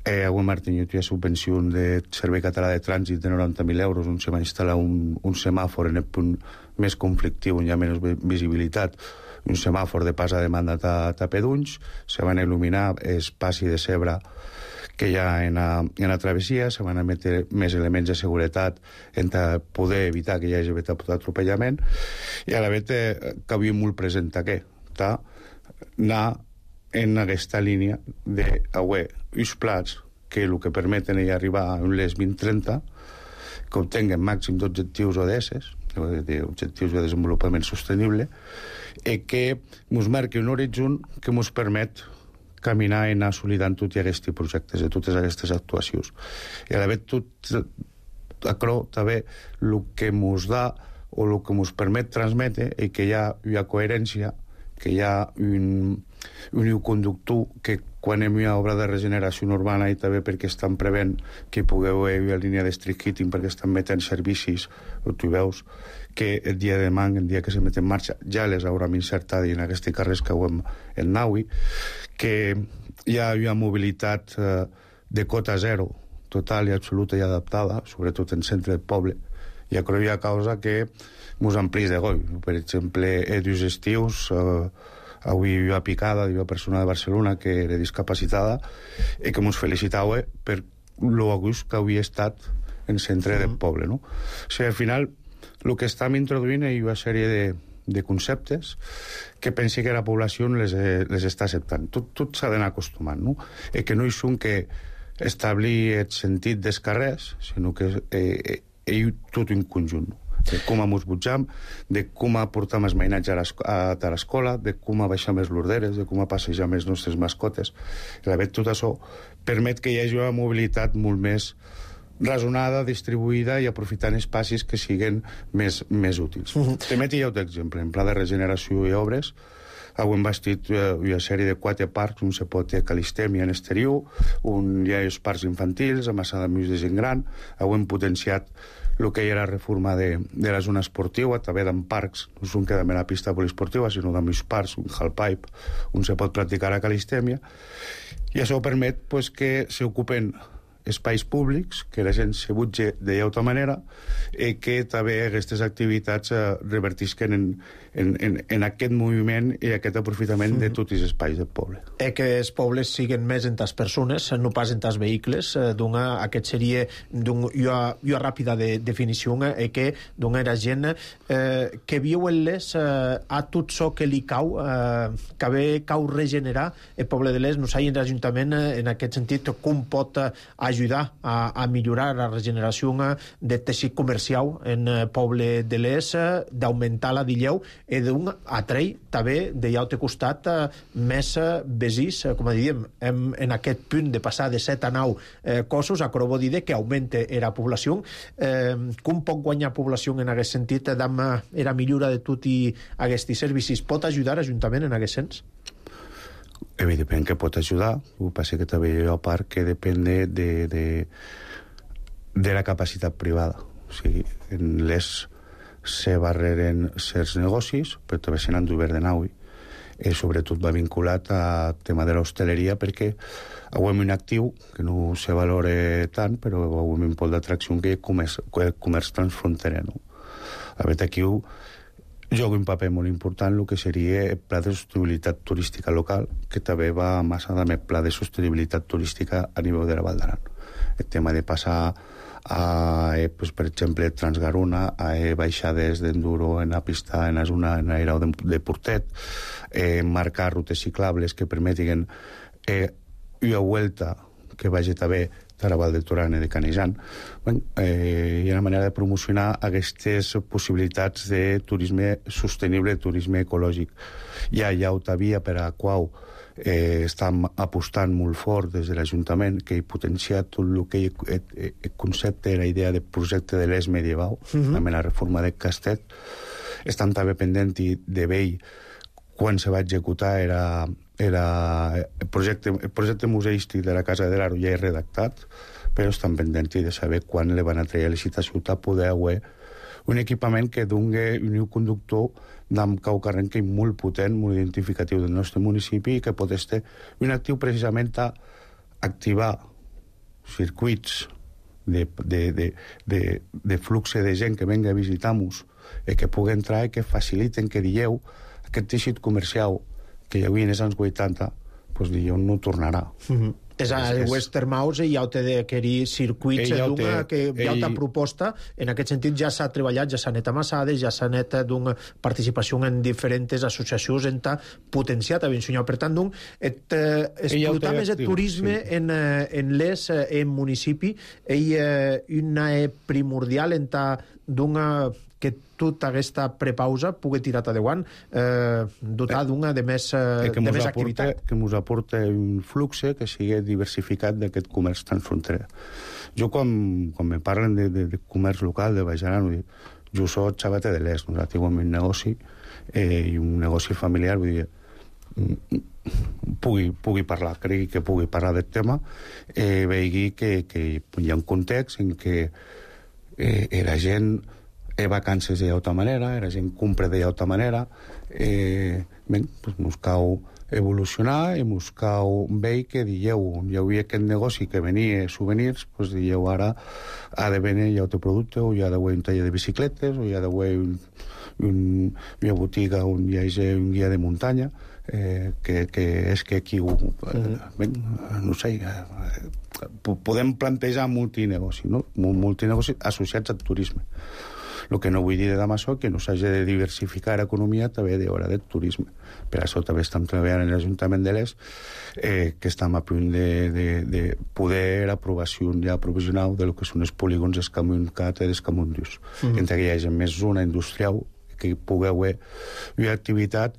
Avui hem tingut una subvenció de Servei Català de Trànsit de 90.000 euros on se va instal·lar un semàfor en el punt més conflictiu on hi ha menys visibilitat, un semàfor de pas a demanda a Pedunys, se van il·luminar el passi de Cebre que hi ha en la travessia, se van a metre més elements de seguretat en poder evitar que hi hagi atropellament, i a la vegada que havia molt present aquest, anar en aquesta línia d'haver uns plats que el que permeten és arribar a les 2030, que obtinguen màxim d'objectius ODS, d'objectius de desenvolupament sostenible, i que ens marqui un horitzó que ens permet caminar i anar assolidant tots aquests projectes, de totes aquestes actuacions. I a la vegada tot això també el que ens da o el que ens permet transmetre és que hi ha una coherència, que hi ha un conductor que quan hi ha obra de regeneració urbana i també perquè estan prevent que hi pugueu haver una línia de street heating perquè estan metent servicis, tu veus que el dia de demà, el dia que se met en marxa, ja les haurem insertat en aquests carrers que hem en Naui, que hi ha una mobilitat de cota zero, total i absoluta i adaptada, sobretot en centre del poble, i això hi ha causa que ens amplís de goi. Per exemple, dos estius, avui hi ha picada d'una persona de Barcelona que era discapacitada i que ens felicitava per lo gust que havia estat en el centre del poble, no? O sigui, al final, el que estem introduint és una sèrie de conceptes que pensi que la població les està acceptant. Tot s'ha d'anar acostumant, no? I que no hi són que establir el sentit dels carrers, sinó que és tot un conjunt, de com ens butjam, de com portam els mainatge a l'escola, de com baixar més l'orderes, de com passejar més les nostres mascotes. I la veritat, tot això permet que hi hagi una mobilitat molt més razonada, distribuïda i aprofitant espais que siguin més útils. També hi ha un exemple, en pla de regeneració i obres, hem bastit una sèrie de 4 parcs, un se pot a Calistèmia en exterior, un hi ha els parcs infantils, a Massà d'Amics de gent gran, hem potenciat el que hi ha la reforma de la zona esportiva, també d'en parcs, no són que de la pista poliesportiva, sinó d'en parcs, un halfpipe, on se pot practicar a Calistèmia, i això permet que s'ocupen espais públics, que la gent se butge d'altra manera i que també aquestes activitats revertisquen en aquest moviment i aquest aprofitament de tots els espais del poble. Que els pobles siguen més en tas persones, no pas en tas vehicles. Aquest seria una ràpida definició que era gent que viu a tot això que li cau, que bé cau regenerar el poble de l'Est. No sé, l'Ajuntament, en aquest sentit, com pot ajudar a millorar la regeneració del teixit comercial en el poble de l'Est, d'augmentar la d'Illeu i d'un atrei també de l'altre costat més besís, com a diem, en aquest punt de passar de 7 a 9 cossos, a vol dir que augmente la població. Com pot guanyar població en aquest sentit amb la millora de tot i aquests servicis? Pot ajudar l'Ajuntament en aquest sens? Evidentment que pot ajudar, el que passa que també hi ha part que depèn de la capacitat privada. O sigui, en les se barreren certs negocis, però també se n'han d'obert de nou. Sobretot va vinculat al tema de l'hostaleria, perquè hem un actiu que no se valora tant, però hem un pol d'atracció que és comerç transfronterer. A veure, aquí juga un paper molt important el que seria el pla de sostenibilitat turística local, que també va amassada amb el pla de sostenibilitat turística a nivell de la Val d'Aran. El tema de passar per exemple, Transgarona, a baixades d'enduro en la pista, en la zona, en l'aerau de Portet, marcar rutes ciclables que permetin una vuelta que vagi també a la Val de Torana i de Canejan. Hi ha una manera de promocionar aquestes possibilitats de turisme sostenible, turisme ecològic. Hi ha autovia per a la qual estem apostant molt fort des de l'Ajuntament, que he potenciat tot el que el concepte, la idea de projecte de l'Est medieval, amb la reforma de Castet. Estan també pendent de vell quan se va executar el projecte museístic de la Casa de l'Aro ja és redactat, però estan pendents de saber quan le van a treure a licitació a poder haver un equipament que doni un conductor d'amb cau carrent que és molt potent, molt identificatiu del nostre municipi i que pot estar un actiu precisament a activar circuits de flux de gent que venga a visitar-nos i que pugui entrar i que faciliten que dieu aquest teixit comercial que hi havia en els anys 80, doncs dieu no tornarà. És a Westermaus i ja ho té d'adquirir circuits d'una que hi ha una proposta, en aquest sentit ja s'ha treballat, ja s'ha anat amassades, ja s'ha anat d'una participació en diferents associacions en ta potenciat a Vinsunyau. Per tant, explotar més el turisme en les municipi una primordial en ta d'una que tota aquesta prepausa pugui tirar endavant, dotar d'una de més activitat. Que ens aporta un flux que sigui diversificat d'aquest comerç transfronterer. Jo, quan me parlen de comerç local, de Baix-Aran, jo soc xavate de l'est, nosaltres tenim un negoci i un negoci familiar, vull dir, pugui parlar, cregui que pugui parlar del tema, vegi que hi ha un context en què la gent vacances d'altra manera, la gent compra d'altra manera, ens cal evolucionar i ens cal veure que dieu, hi havia aquest negoci que venia souvenirs, doncs dieu ara ha de venir altre producte, o hi ha d'haver un taller de bicicletes, o hi ha d'haver una botiga on hi hagi un guia de muntanya, que és que aquí no sé, podem plantejar multinegoci, no? Multinegoci associats al turisme. El que no vull dir de Damaso que no s'hagi de diversificar l'economia també d'hora del turisme. Per això també estem treballant en l'Ajuntament de l'Est, que estem a punt de poder aprovació ja provisional de lo que són els polígons d'Escamunt-Cat i d'Escamunt-Dius. Entre que hi hagi més zona industrial que pugui haver una activitat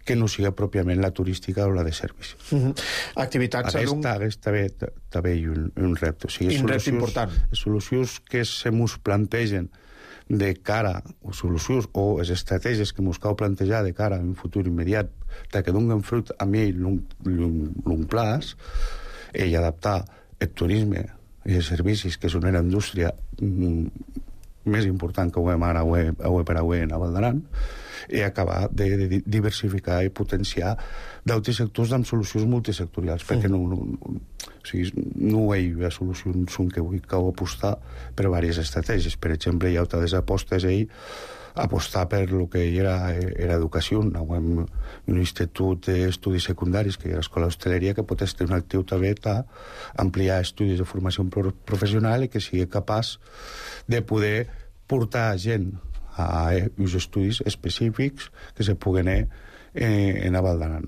que no siga pròpiament la turística o la de servici. Activitats... També hi ha un repte. O sigui, un repte important. Solucions que se mos plantegen de cara, o solucions o les estratègies que ens cal plantejar de cara a un futur immediat, que donen fruit a mi long plaç, i adaptar el turisme i els servicis, que són una indústria més important que ho hem ara per avui en Val d'Aran, i acabar de diversificar i potenciar d'altres sectors amb solucions multisectorials, perquè no hi ha solucions que vull apostar per diverses estratègies. Per exemple, hi ha altres apostes apostar per el que era educació. Un institut d'estudis secundaris, que hi ha l'escola d'hostaleria, que pot estar un actiu també ampliar estudis de formació professional i que sigui capaç de poder portar gent a uns estudis específics que se puguen en a Val d'Aran.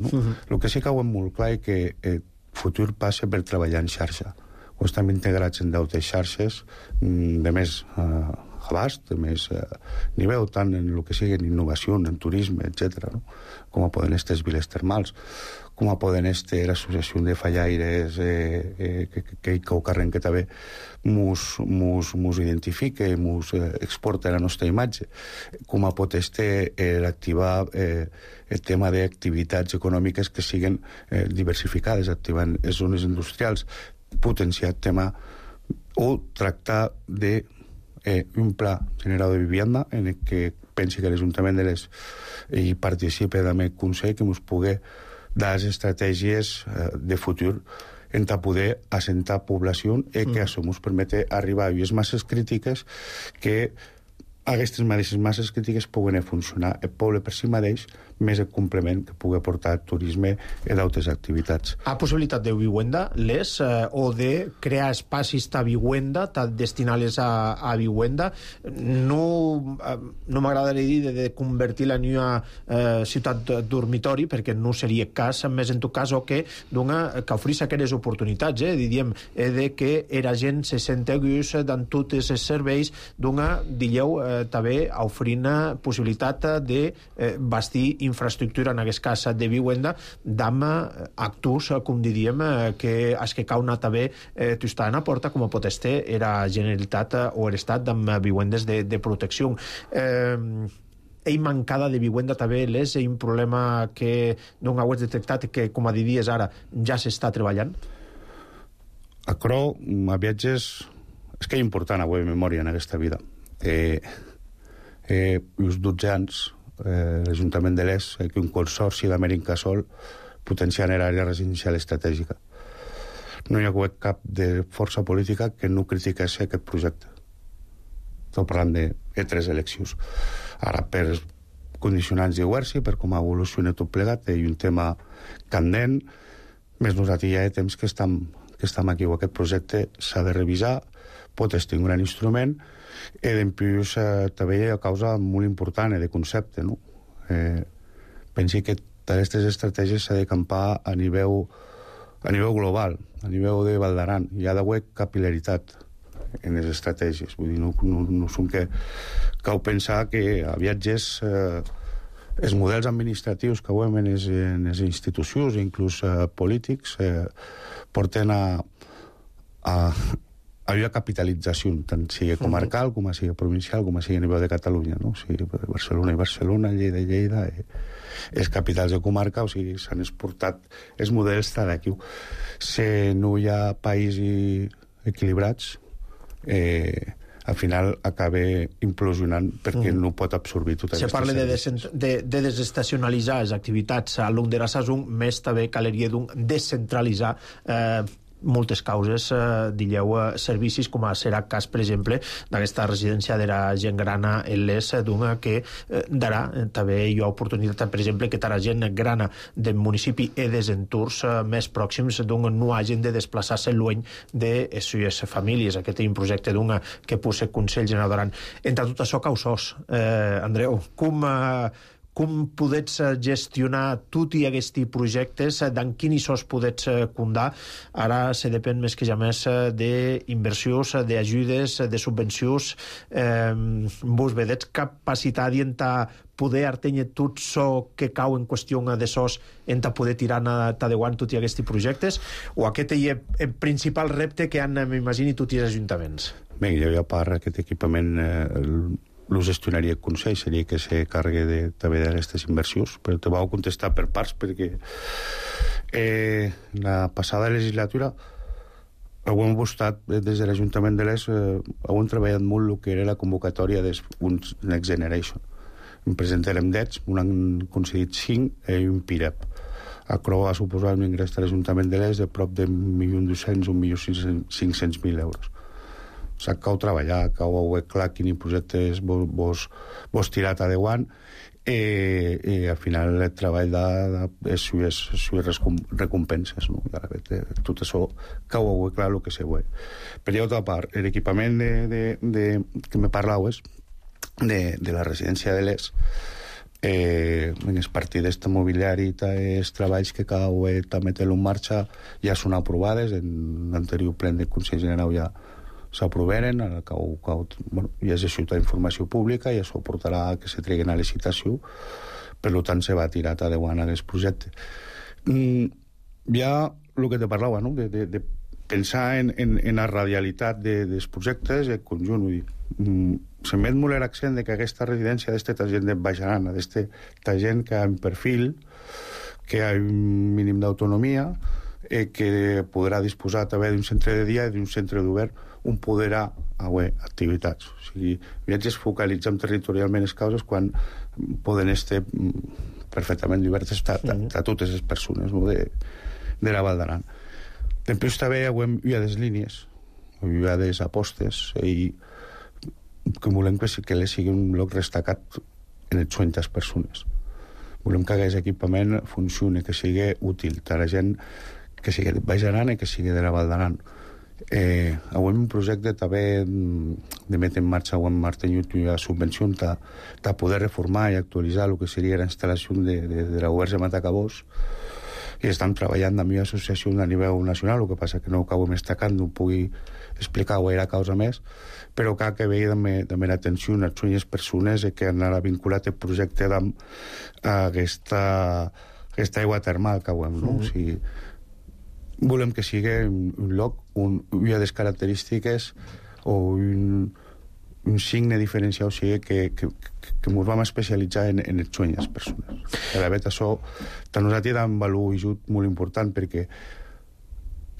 El que sí que ho hem molt clar és que el futur passa per treballar en xarxa. O estem integrats en d'altres xarxes de més abast, de més nivell, tant en el que sigui en innovació, en turisme, etc. Com poden estar les viles termals, com poden estar l'associació de fallaires que ho carreguen, que també mos identifica, mos exporta la nostra imatge, com pot estar l'activar el tema d'activitats econòmiques que siguin diversificades, activant les zones industrials, potenciar el tema o tractar de un pla general de vivienda en el que pensi que l'Ajuntament de l'Est hi participa també el Consell, que ens pugui dar les estratègies de futur en poder assentar població i que això ens permeti arribar a unes masses crítiques que aquestes mateixes masses crítiques puguen funcionar el poble per si mateix, més el complement que pugui aportar el turisme i d'altres activitats. Ha possibilitat de vivienda, o de crear espacis de vivienda, destinar-les a vivienda. No m'agradaria dir de convertir-la en una ciutat dormitori, perquè no seria cas, més en tot cas, o que oferís aquelles oportunitats, diríem, de que la gent se senti gust en tots els serveis també oferint possibilitat de bastir infraestructura, en aquest cas de vivienda, d'amb actors, com diríem, que es que cau també t'estan a porta, com pot estar la Generalitat o l'Estat amb vivendes de protecció. Mancada de vivenda també és un problema que no heu detectat, que, com a diries ara, ja s'està treballant? A Cro, a viatges, és que és important avui memòria en aquesta vida. Uns 12 anys l'Ajuntament de l'Est, un consorci d'Amèrica-Sol potenciant l'àrea residencial estratègica. No hi ha hagut cap de força política que no critiqués aquest projecte. Estic parlant de 3 eleccions. Ara, per condicionants de Guerci, per com evoluciona tot plegat, hi ha un tema candent, més nosaltres ja hi ha temps que estem que estem aquí, aquest projecte s'ha de revisar, pot estar un gran instrument, i en plus també hi ha causa molt important de concepte, no? Pensi que aquestes estratègies s'ha de campar a nivell global, a nivell de Val d'Aran. Hi ha d'haver capil·laritat en les estratègies. Vull dir, no som que cal pensar que a viatges els models administratius que veiem en les institucions, inclús polítics, porten a la capitalització, tant sigui comarcal, com sigui provincial, com sigui a nivell de Catalunya, no? O sigui, Barcelona i Barcelona, Lleida i Lleida, els capitals de comarca, o sigui, s'han exportat els models d'aquí. Si no hi ha països equilibrats, al final acaba implosionant perquè no pot absorbir tot això. Se parla de desestacionalitzar les activitats a l'un de la saison, més també caleria d'un descentralitzar moltes causes, digueu, servicis, com serà el cas, per exemple, d'aquesta residència de la gent grana en l'ES, d'una que darà, també hi ha oportunitat, per exemple, que la gent grana del municipi i dels entorns més pròxims d'un no hagin de desplaçar-se lluny de les seves famílies. Aquest és un projecte d'una que posa Consell General d'Aran. Entre tot això, causós, Andreu, com podets gestionar tots aquests projectes, d'en quins sos podets condar? Ara se depèn més que ja més d'inversions, d'ajudes, de subvencions. Vos vedets capacitat en poder artenyer tot això que cau en qüestió de sos en poder tirar endavant tots aquests projectes? O aquest és el principal repte que han, m'imagini, tots els ajuntaments? Bé, jo ja parlo aquest equipament lo gestionaria el Consell, seria que se carregui també d'aquestes inversions, però te vau contestar per parts, perquè la passada legislatura hem buscat des de l'Ajuntament de l'ES, hem treballat molt el que era la convocatòria dels Next Generation. En presentarem 10, un han concedit 5 i un PIREP. Això va suposar un ingrés de l'Ajuntament de l'ES de prop de 1.200.000 o 1.500.000 euros. Cal treballar, cal veure clar quins projectes vos tirat adeuant i al final el treball de les recompenses, no? Tot això cal veure clar el que se ve. Per altra part, l'equipament que me parlaves de la residència de l'ES, en les partides de mobiliari i els treballs que cal també té-lo en marxa ja són aprovades, en l'anterior ple del Consell General ja s'aproveren, ja és això d'informació pública i això portarà a que se treguen a licitació, per tant se va tirar endavant aquest projecte. Ja el que te parlava, no? De pensar en la radialitat dels projectes i el conjunt. Se met molt l'accent que aquesta residència d'esta gent de Baixarana, d'esta gent que ha un perfil, que ha un mínim d'autonomia, que podrà disposar també d'un centre de dia i d'un centre d'obert on podrà haver activitats. O sigui, viatges focalitzem territorialment les causes quan poden estar perfectament obertes a totes les persones, no? de la Val d'Aran. Després també hi ha les línies, hi ha les apostes, i que volem que les sigui un lloc destacat en els sueños persones. Volem que aquest equipament funcioni, que sigui útil a la gent que sigui de Baix Aran i que sigui de la Val d'Aran. Avui un projecte també de metre en marxa o en mantengut una subvenció de poder reformar i actualitzar el que seria la instal·lació de la Oberge Matacabós, i estan treballant amb una associació a nivell nacional, el que passa que no ho acabem destacant, no ho pugui explicar gaire causa més, però cal que vegi també l'atenció a les persones que han vinculat el projecte amb aquesta aigua termal que veiem, no? O sigui, volem que sigui un lloc on hi ha les característiques o un signe diferencial, o sigui que ens vam especialitzar en els sueños de les persones. De veritat, això per nosaltres és un valor ajut molt important, perquè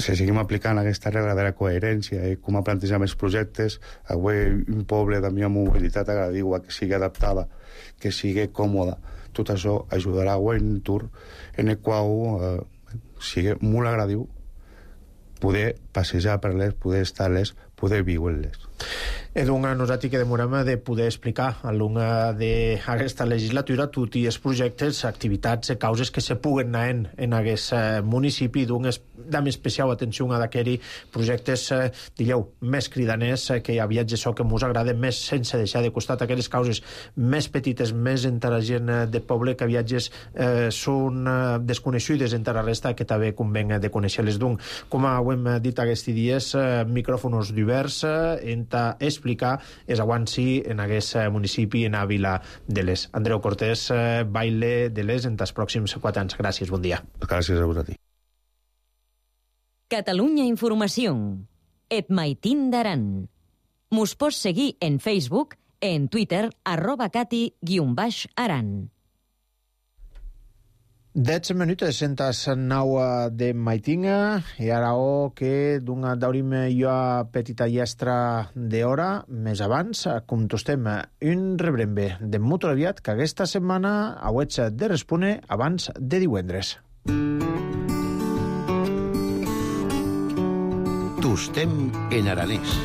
si seguim aplicant aquesta regla de la coherència i com a plantejar els projectes, avui un poble de mi mobilitat agradiua, que sigui adaptada, que sigui còmoda, tot això ajudarà a un entorn en el qual sigui molt agradiu poder passejar per les, poder estar-les, poder viure-les. Nosaltres que demorem de poder explicar a l'una d'aquesta legislatura tots els projectes, activitats, causes que se puguen anar en aquest municipi, dam especial atenció a d'aquells projectes, més cridaners, que hi ha viatges que ens agrada més, sense deixar de costat aquelles causes més petites, més entre la gent de poble, que viatges són desconeixudes entre la resta, que també conven de conèixer-les d'un. Com ho hem dit aquests dies, micròfons diversos, entre explicar és avanci en aquest municipi, en a Vila de l'Es. Andreu Cortés, baile de l'Es en els pròxims 4 anys. Gràcies, bon dia. Gràcies a vosaltres. Catalunya Informació. Et maitin d'aran. Mos pots seguir en Facebook, en Twitter, @cati_aran. 10 minutes sentas 9 de maitinga i ara que daurim jo petita llestra d'hora més abans, com tostem un rebrembe de molt aviat que aquesta setmana hauig de respondre abans de divendres. Tostem en aranès.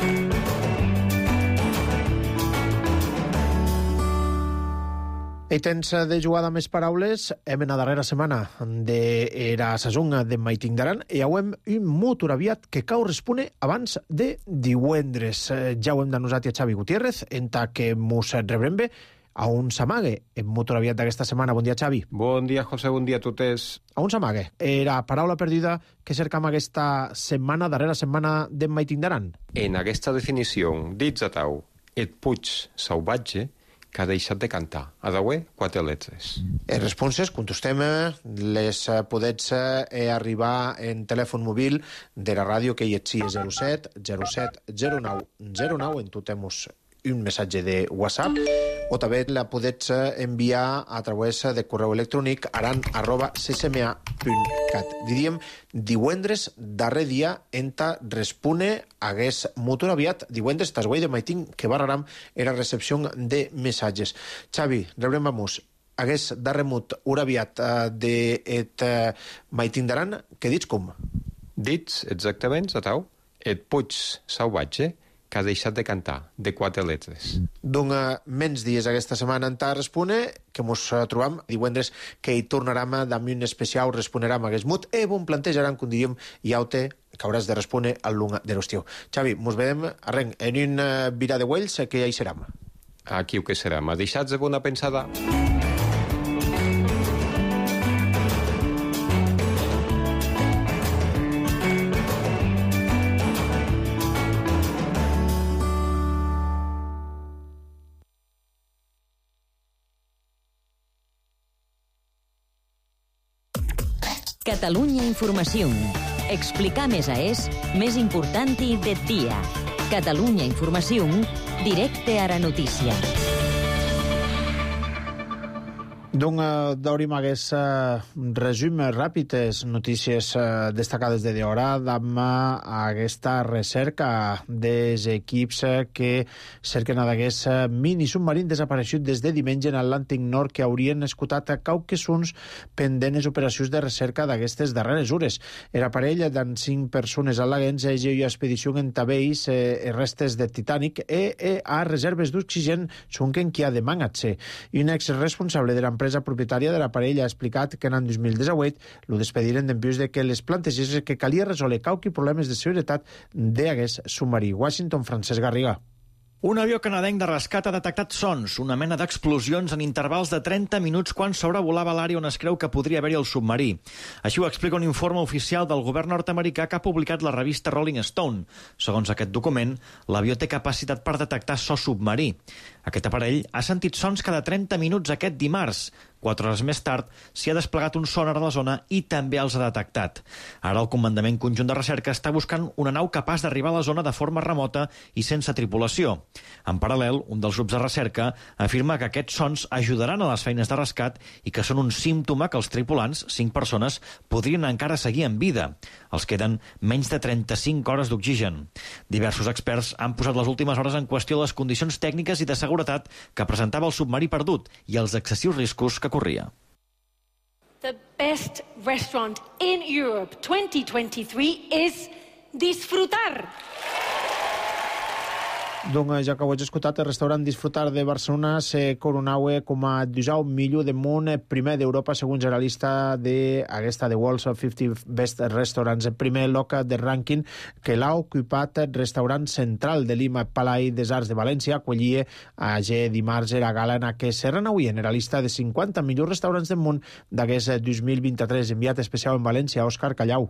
I tens de jugar amb més paraules, hem en la darrera setmana d'era sasonga de Maiting d'Aran i hauem un molt aviat que cau respone abans de divendres. Ja ho hem de nosaltres a Xavi Gutiérrez, en ta que mos rebrembe a un s'amague en molt aviat d'aquesta setmana. Bon dia, Xavi. Bon dia, José, bon dia a totes. A un s'amague. Era paraula perduda que cercam aquesta setmana, darrera setmana de Maiting d'Aran. En aquesta definició, dits a tau, et puig salvatge, que ha deixat de cantar. A dauer, 4 lletres. Les responses, contestem, les podets arribar en telèfon mòbil de la ràdio, que hi és 07 07 09 09, en totem-nos un missatge de WhatsApp, o també la podets enviar a través de correu electrònic aran@ccma.cat. Diríem, divendres, darrer dia, enta respone hagués molt aviat, divendres, tas guai de Maiting, que barraram era recepció de missatges. Xavi, rebrem vamos, hagués darrer mut aviat de Maiting d'Aran, que dits com? Dits, exactament, a tau, et puig salvatge, que ha deixat de cantar, de 4 lletres. Doncs menys dies aquesta setmana en ta respone, que mos trobam divendres, que hi tornarem amb un especial, responerem a aquest mut, bon plantejaran, com diríem, i aute, que hauràs de respondre al lunga de l'estiu. Xavi, mos vedem arrenc en un virà de Wells, que ja hi serem. Aquí ho que serà, m'ha deixat de bona pensada. Catalunya Informació. Explicar més més important i de dia. Catalunya Informació, directe a la notícia. Doncs daurim aquest resum ràpid, les notícies destacades de d'hora, amb aquesta recerca dels equips que cerquen d'aquest mini submarín desaparegut des de diumenge en l'Atlàntic Nord, que haurien escoltat a cauquesons pendents operacions de recerca d'aquestes darreres hores. Era parell d'en 5 persones al·laguents i expedició en tabeis restes de Titanic a reserves d'oxigen sonquen qui ha de mangat-se. I un exresponsable de l'empresa propietària de l'aparell ha explicat que en el 2018 lo despediren dempués de que les plantegessin que calia resoldre cauqui problemes de seguretat d'aquest submarí. Washington, Francesc Garriga. Un avió canadenc de rescat ha detectat sons, una mena d'explosions en intervals de 30 minuts quan sobrevolava l'àrea on es creu que podria haver-hi el submarí. Així ho explica un informe oficial del govern nord-americà que ha publicat la revista Rolling Stone. Segons aquest document, l'avió té capacitat per detectar so submarí. Aquest aparell ha sentit sons cada 30 minuts aquest dimarts. 4 hores més tard s'hi ha desplegat un sonar a la zona i també els ha detectat. Ara el Comandament Conjunt de Recerca està buscant una nau capaç d'arribar a la zona de forma remota i sense tripulació. En paral·lel, un dels grups de recerca afirma que aquests sons ajudaran a les feines de rescat i que són un símptoma que els tripulants, 5 persones, podrien encara seguir en vida. Els queden menys de 35 hores d'oxigen. Diversos experts han posat les últimes hores en qüestió les condicions tècniques i de seguretat que presentava el submarí perdut i els excessius riscos que corria. The best restaurant in Europe 2023 is disfrutar. Doncs ja que ho he escoltat, el restaurant Disfrutar de Barcelona se coronaue com a 19 millor de món primer d'Europa segons la llista d'aquesta The World's 50 Best Restaurants. El primer lloc de rànquing que l'ha ocupat el restaurant central de Lima, Palai des Arts de València, acollia a dimarts era gala en què se renauia en la llista de 50 millors restaurants del món d'aquest 2023. Enviat especial en València, Òscar Callau.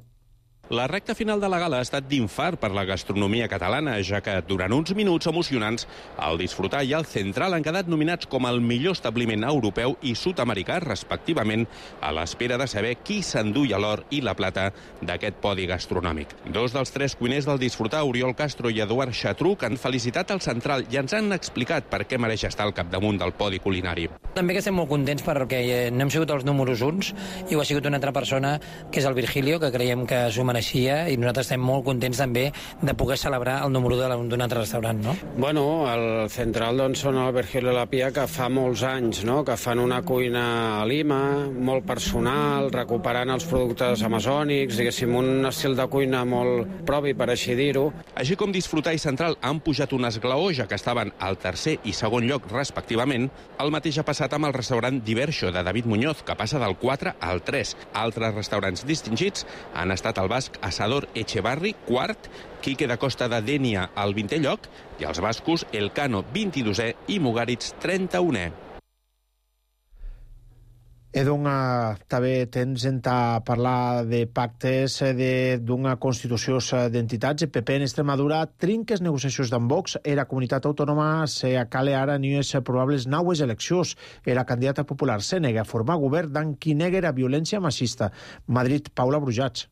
La recta final de la gala ha estat d'infart per la gastronomia catalana, ja que durant uns minuts emocionants el Disfrutar i el Central han quedat nominats com el millor establiment europeu i sud-americà, respectivament, a l'espera de saber qui s'enduia l'or i la plata d'aquest podi gastronòmic. Dos dels tres cuiners del Disfrutar, Oriol Castro i Eduard Xatruc, han felicitat el Central i ens han explicat per què mereix estar al capdamunt del podi culinari. També que estem molt contents perquè no hem sigut els números uns i ho ha sigut una altra persona, que és el Virgilio, que creiem que s'ho mereixia, i nosaltres estem molt contents també de poder celebrar el número d'un altre restaurant, no? Bueno, el Central doncs, són el Virgilio i la Pia, que fa molts anys, no?, que fan una cuina a Lima, molt personal, recuperant els productes amazònics, diguéssim, un estil de cuina molt propi, per així dir-ho. Així com Disfrutar i Central han pujat un esglaó, ja que estaven al tercer i segon lloc, respectivament, el mateix ha passat amb el restaurant Diverso, de David Muñoz, que passa del 4 al 3. Altres restaurants distingits han estat el basc Asador Echevarri, quart, Quique da Costa de Dénia, al 20è lloc, i els bascos Elcano, 22è, i Mugaritz, 31è. També tens a parlar de pactes d'una constitució d'entitats. El PP en Extremadura trinca les negociacions d'en Vox. Era comunitat autònoma se acale ara en unes probables naues eleccions. Era candidata popular se nega a formar govern d'en qui nega la violència machista. Madrid, Paula Brujats.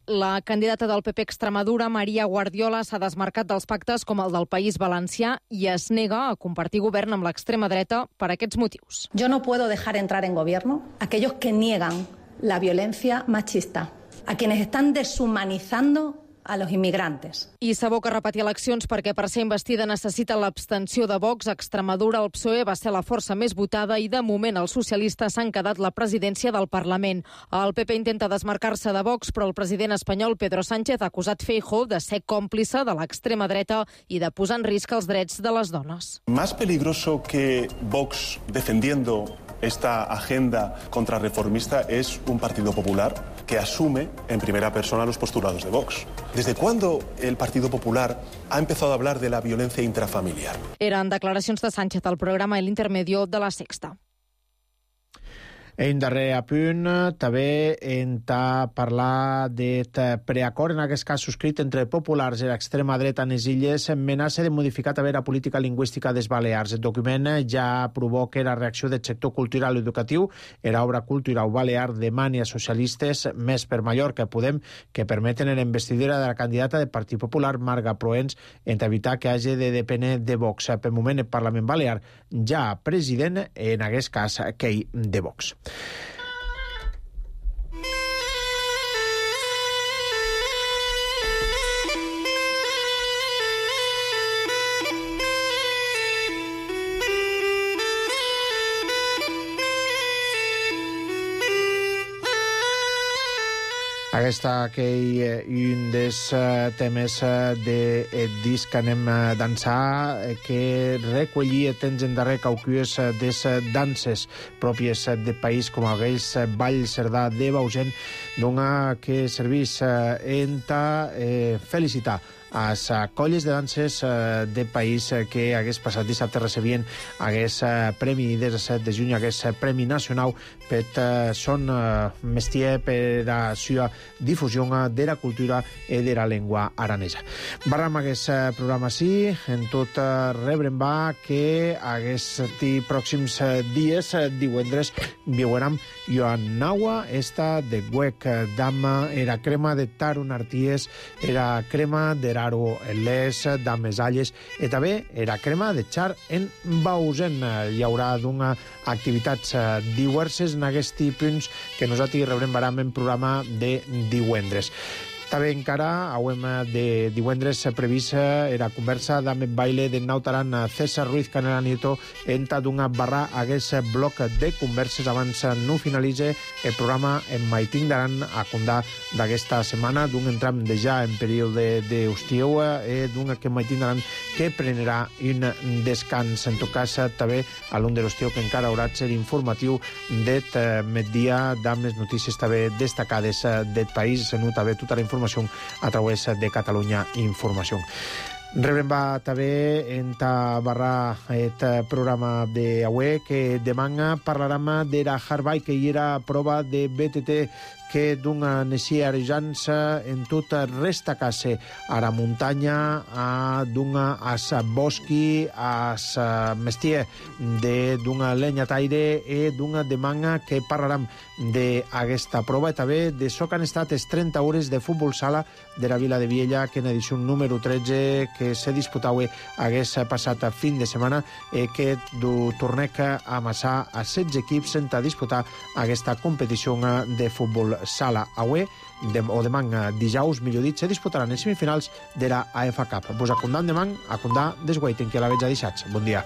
La candidata del PP Extremadura, Maria Guardiola, s'ha desmarcat dels pactes com el del País Valencià i es nega a compartir govern amb l'extrema dreta per aquests motius. Yo no puedo dejar entrar en gobierno a aquellos que niegan la violencia machista, a quienes están deshumanizando a los inmigrantes. I s'aboca a repetir eleccions perquè per ser investida necessita l'abstenció de Vox. A Extremadura el PSOE va ser la força més votada i de moment els socialistes s'han quedat la presidència del Parlament. El PP intenta desmarcar-se de Vox, però el president espanyol Pedro Sánchez ha acusat Feijóo de ser còmplice de l'extrema dreta i de posar en risc els drets de les dones. Más peligroso que Vox defendiendo esta agenda contrarreformista es un Partido Popular que asume en primera persona los postulados de Vox. ¿Desde cuándo el Partido Popular ha empezado a hablar de la violencia intrafamiliar? Eren declaracions de Sánchez al programa El Intermedio de La Sexta. En darrer apunt, també hem de parlar de preacord, en aquest cas subscrit entre populars i l'extrema dreta en les illes, amenaça de modificar també la política lingüística des Balears. El document ja provoca la reacció del sector cultural i educatiu. Era obra cultural balear demani a socialistes més per Mallorca Podem que permeten la investidura de la candidata del Partit Popular, Marga Proens, en evitar que hagi de dependre de Vox. Per moment, el Parlament Balear ja president, en aquest cas, aquell de Vox. Aquesta que un dels temes de disc que anem a dansar, que recollia temps en darrer caucues des danses pròpies del país, com aquells Ball Cerdà de Bausen, dona que servís en felicitar a les colles de danses del país que hagués passat dissabte recebien hagués premi des del 7 de juny, hagués premi nacional per son mestier, per la seva difusió de la cultura i de la llengua aranesa. Barram aquest programa sí, en tot rebrem va que aquests pròxims dies, divendres, veurem Joan Naua, esta de Huec Dama, era crema de Tarun Arties, era crema de Raro Les, Dames Alles, i també era crema de Char en Bausen. Hi haurà d'una activitats diverses en aquests punts que nosaltres rebrem en programa de divendres. També encara auem de divendres previst era conversa amb el baile de Nautaran César Ruiz Canela Nieto enta d'una barra hagués bloc de converses abans no finalitze el programa en Maiting d'Aran a condar d'aquesta setmana d'un entram de ja en període d'estiu d'un que Maiting d'Aran que prenarà un descans. En tot cas també a l'un de l'estiu que encara haurà de ser informatiu d'et migdia amb les notícies també destacades del país, senut també tota la informació a través de Catalunya Informació. Rebrem també en barra el programa d'avui que demà parlarem de la Harvard que hi era prova de BTT que d'una necia arejans en tot resta casa a la muntanya, a d'una as bosqui, as mestier d'una lenyataire i d'una demanda que parlarem d'aquesta prova i també de so que han estat les 30 hores de futbol sala de la Vila de Viella que en edició número 13 que se disputava hagués passat fin de setmana que du tornec a amassar a 16 equips sense disputar aquesta competició de futbol sala. Avui, o demà dijous, millor dit, se disputaran les semifinals de la AFA Cup. Vos acondam demà, acondar desguaiten que la veig a deixats. Bon dia.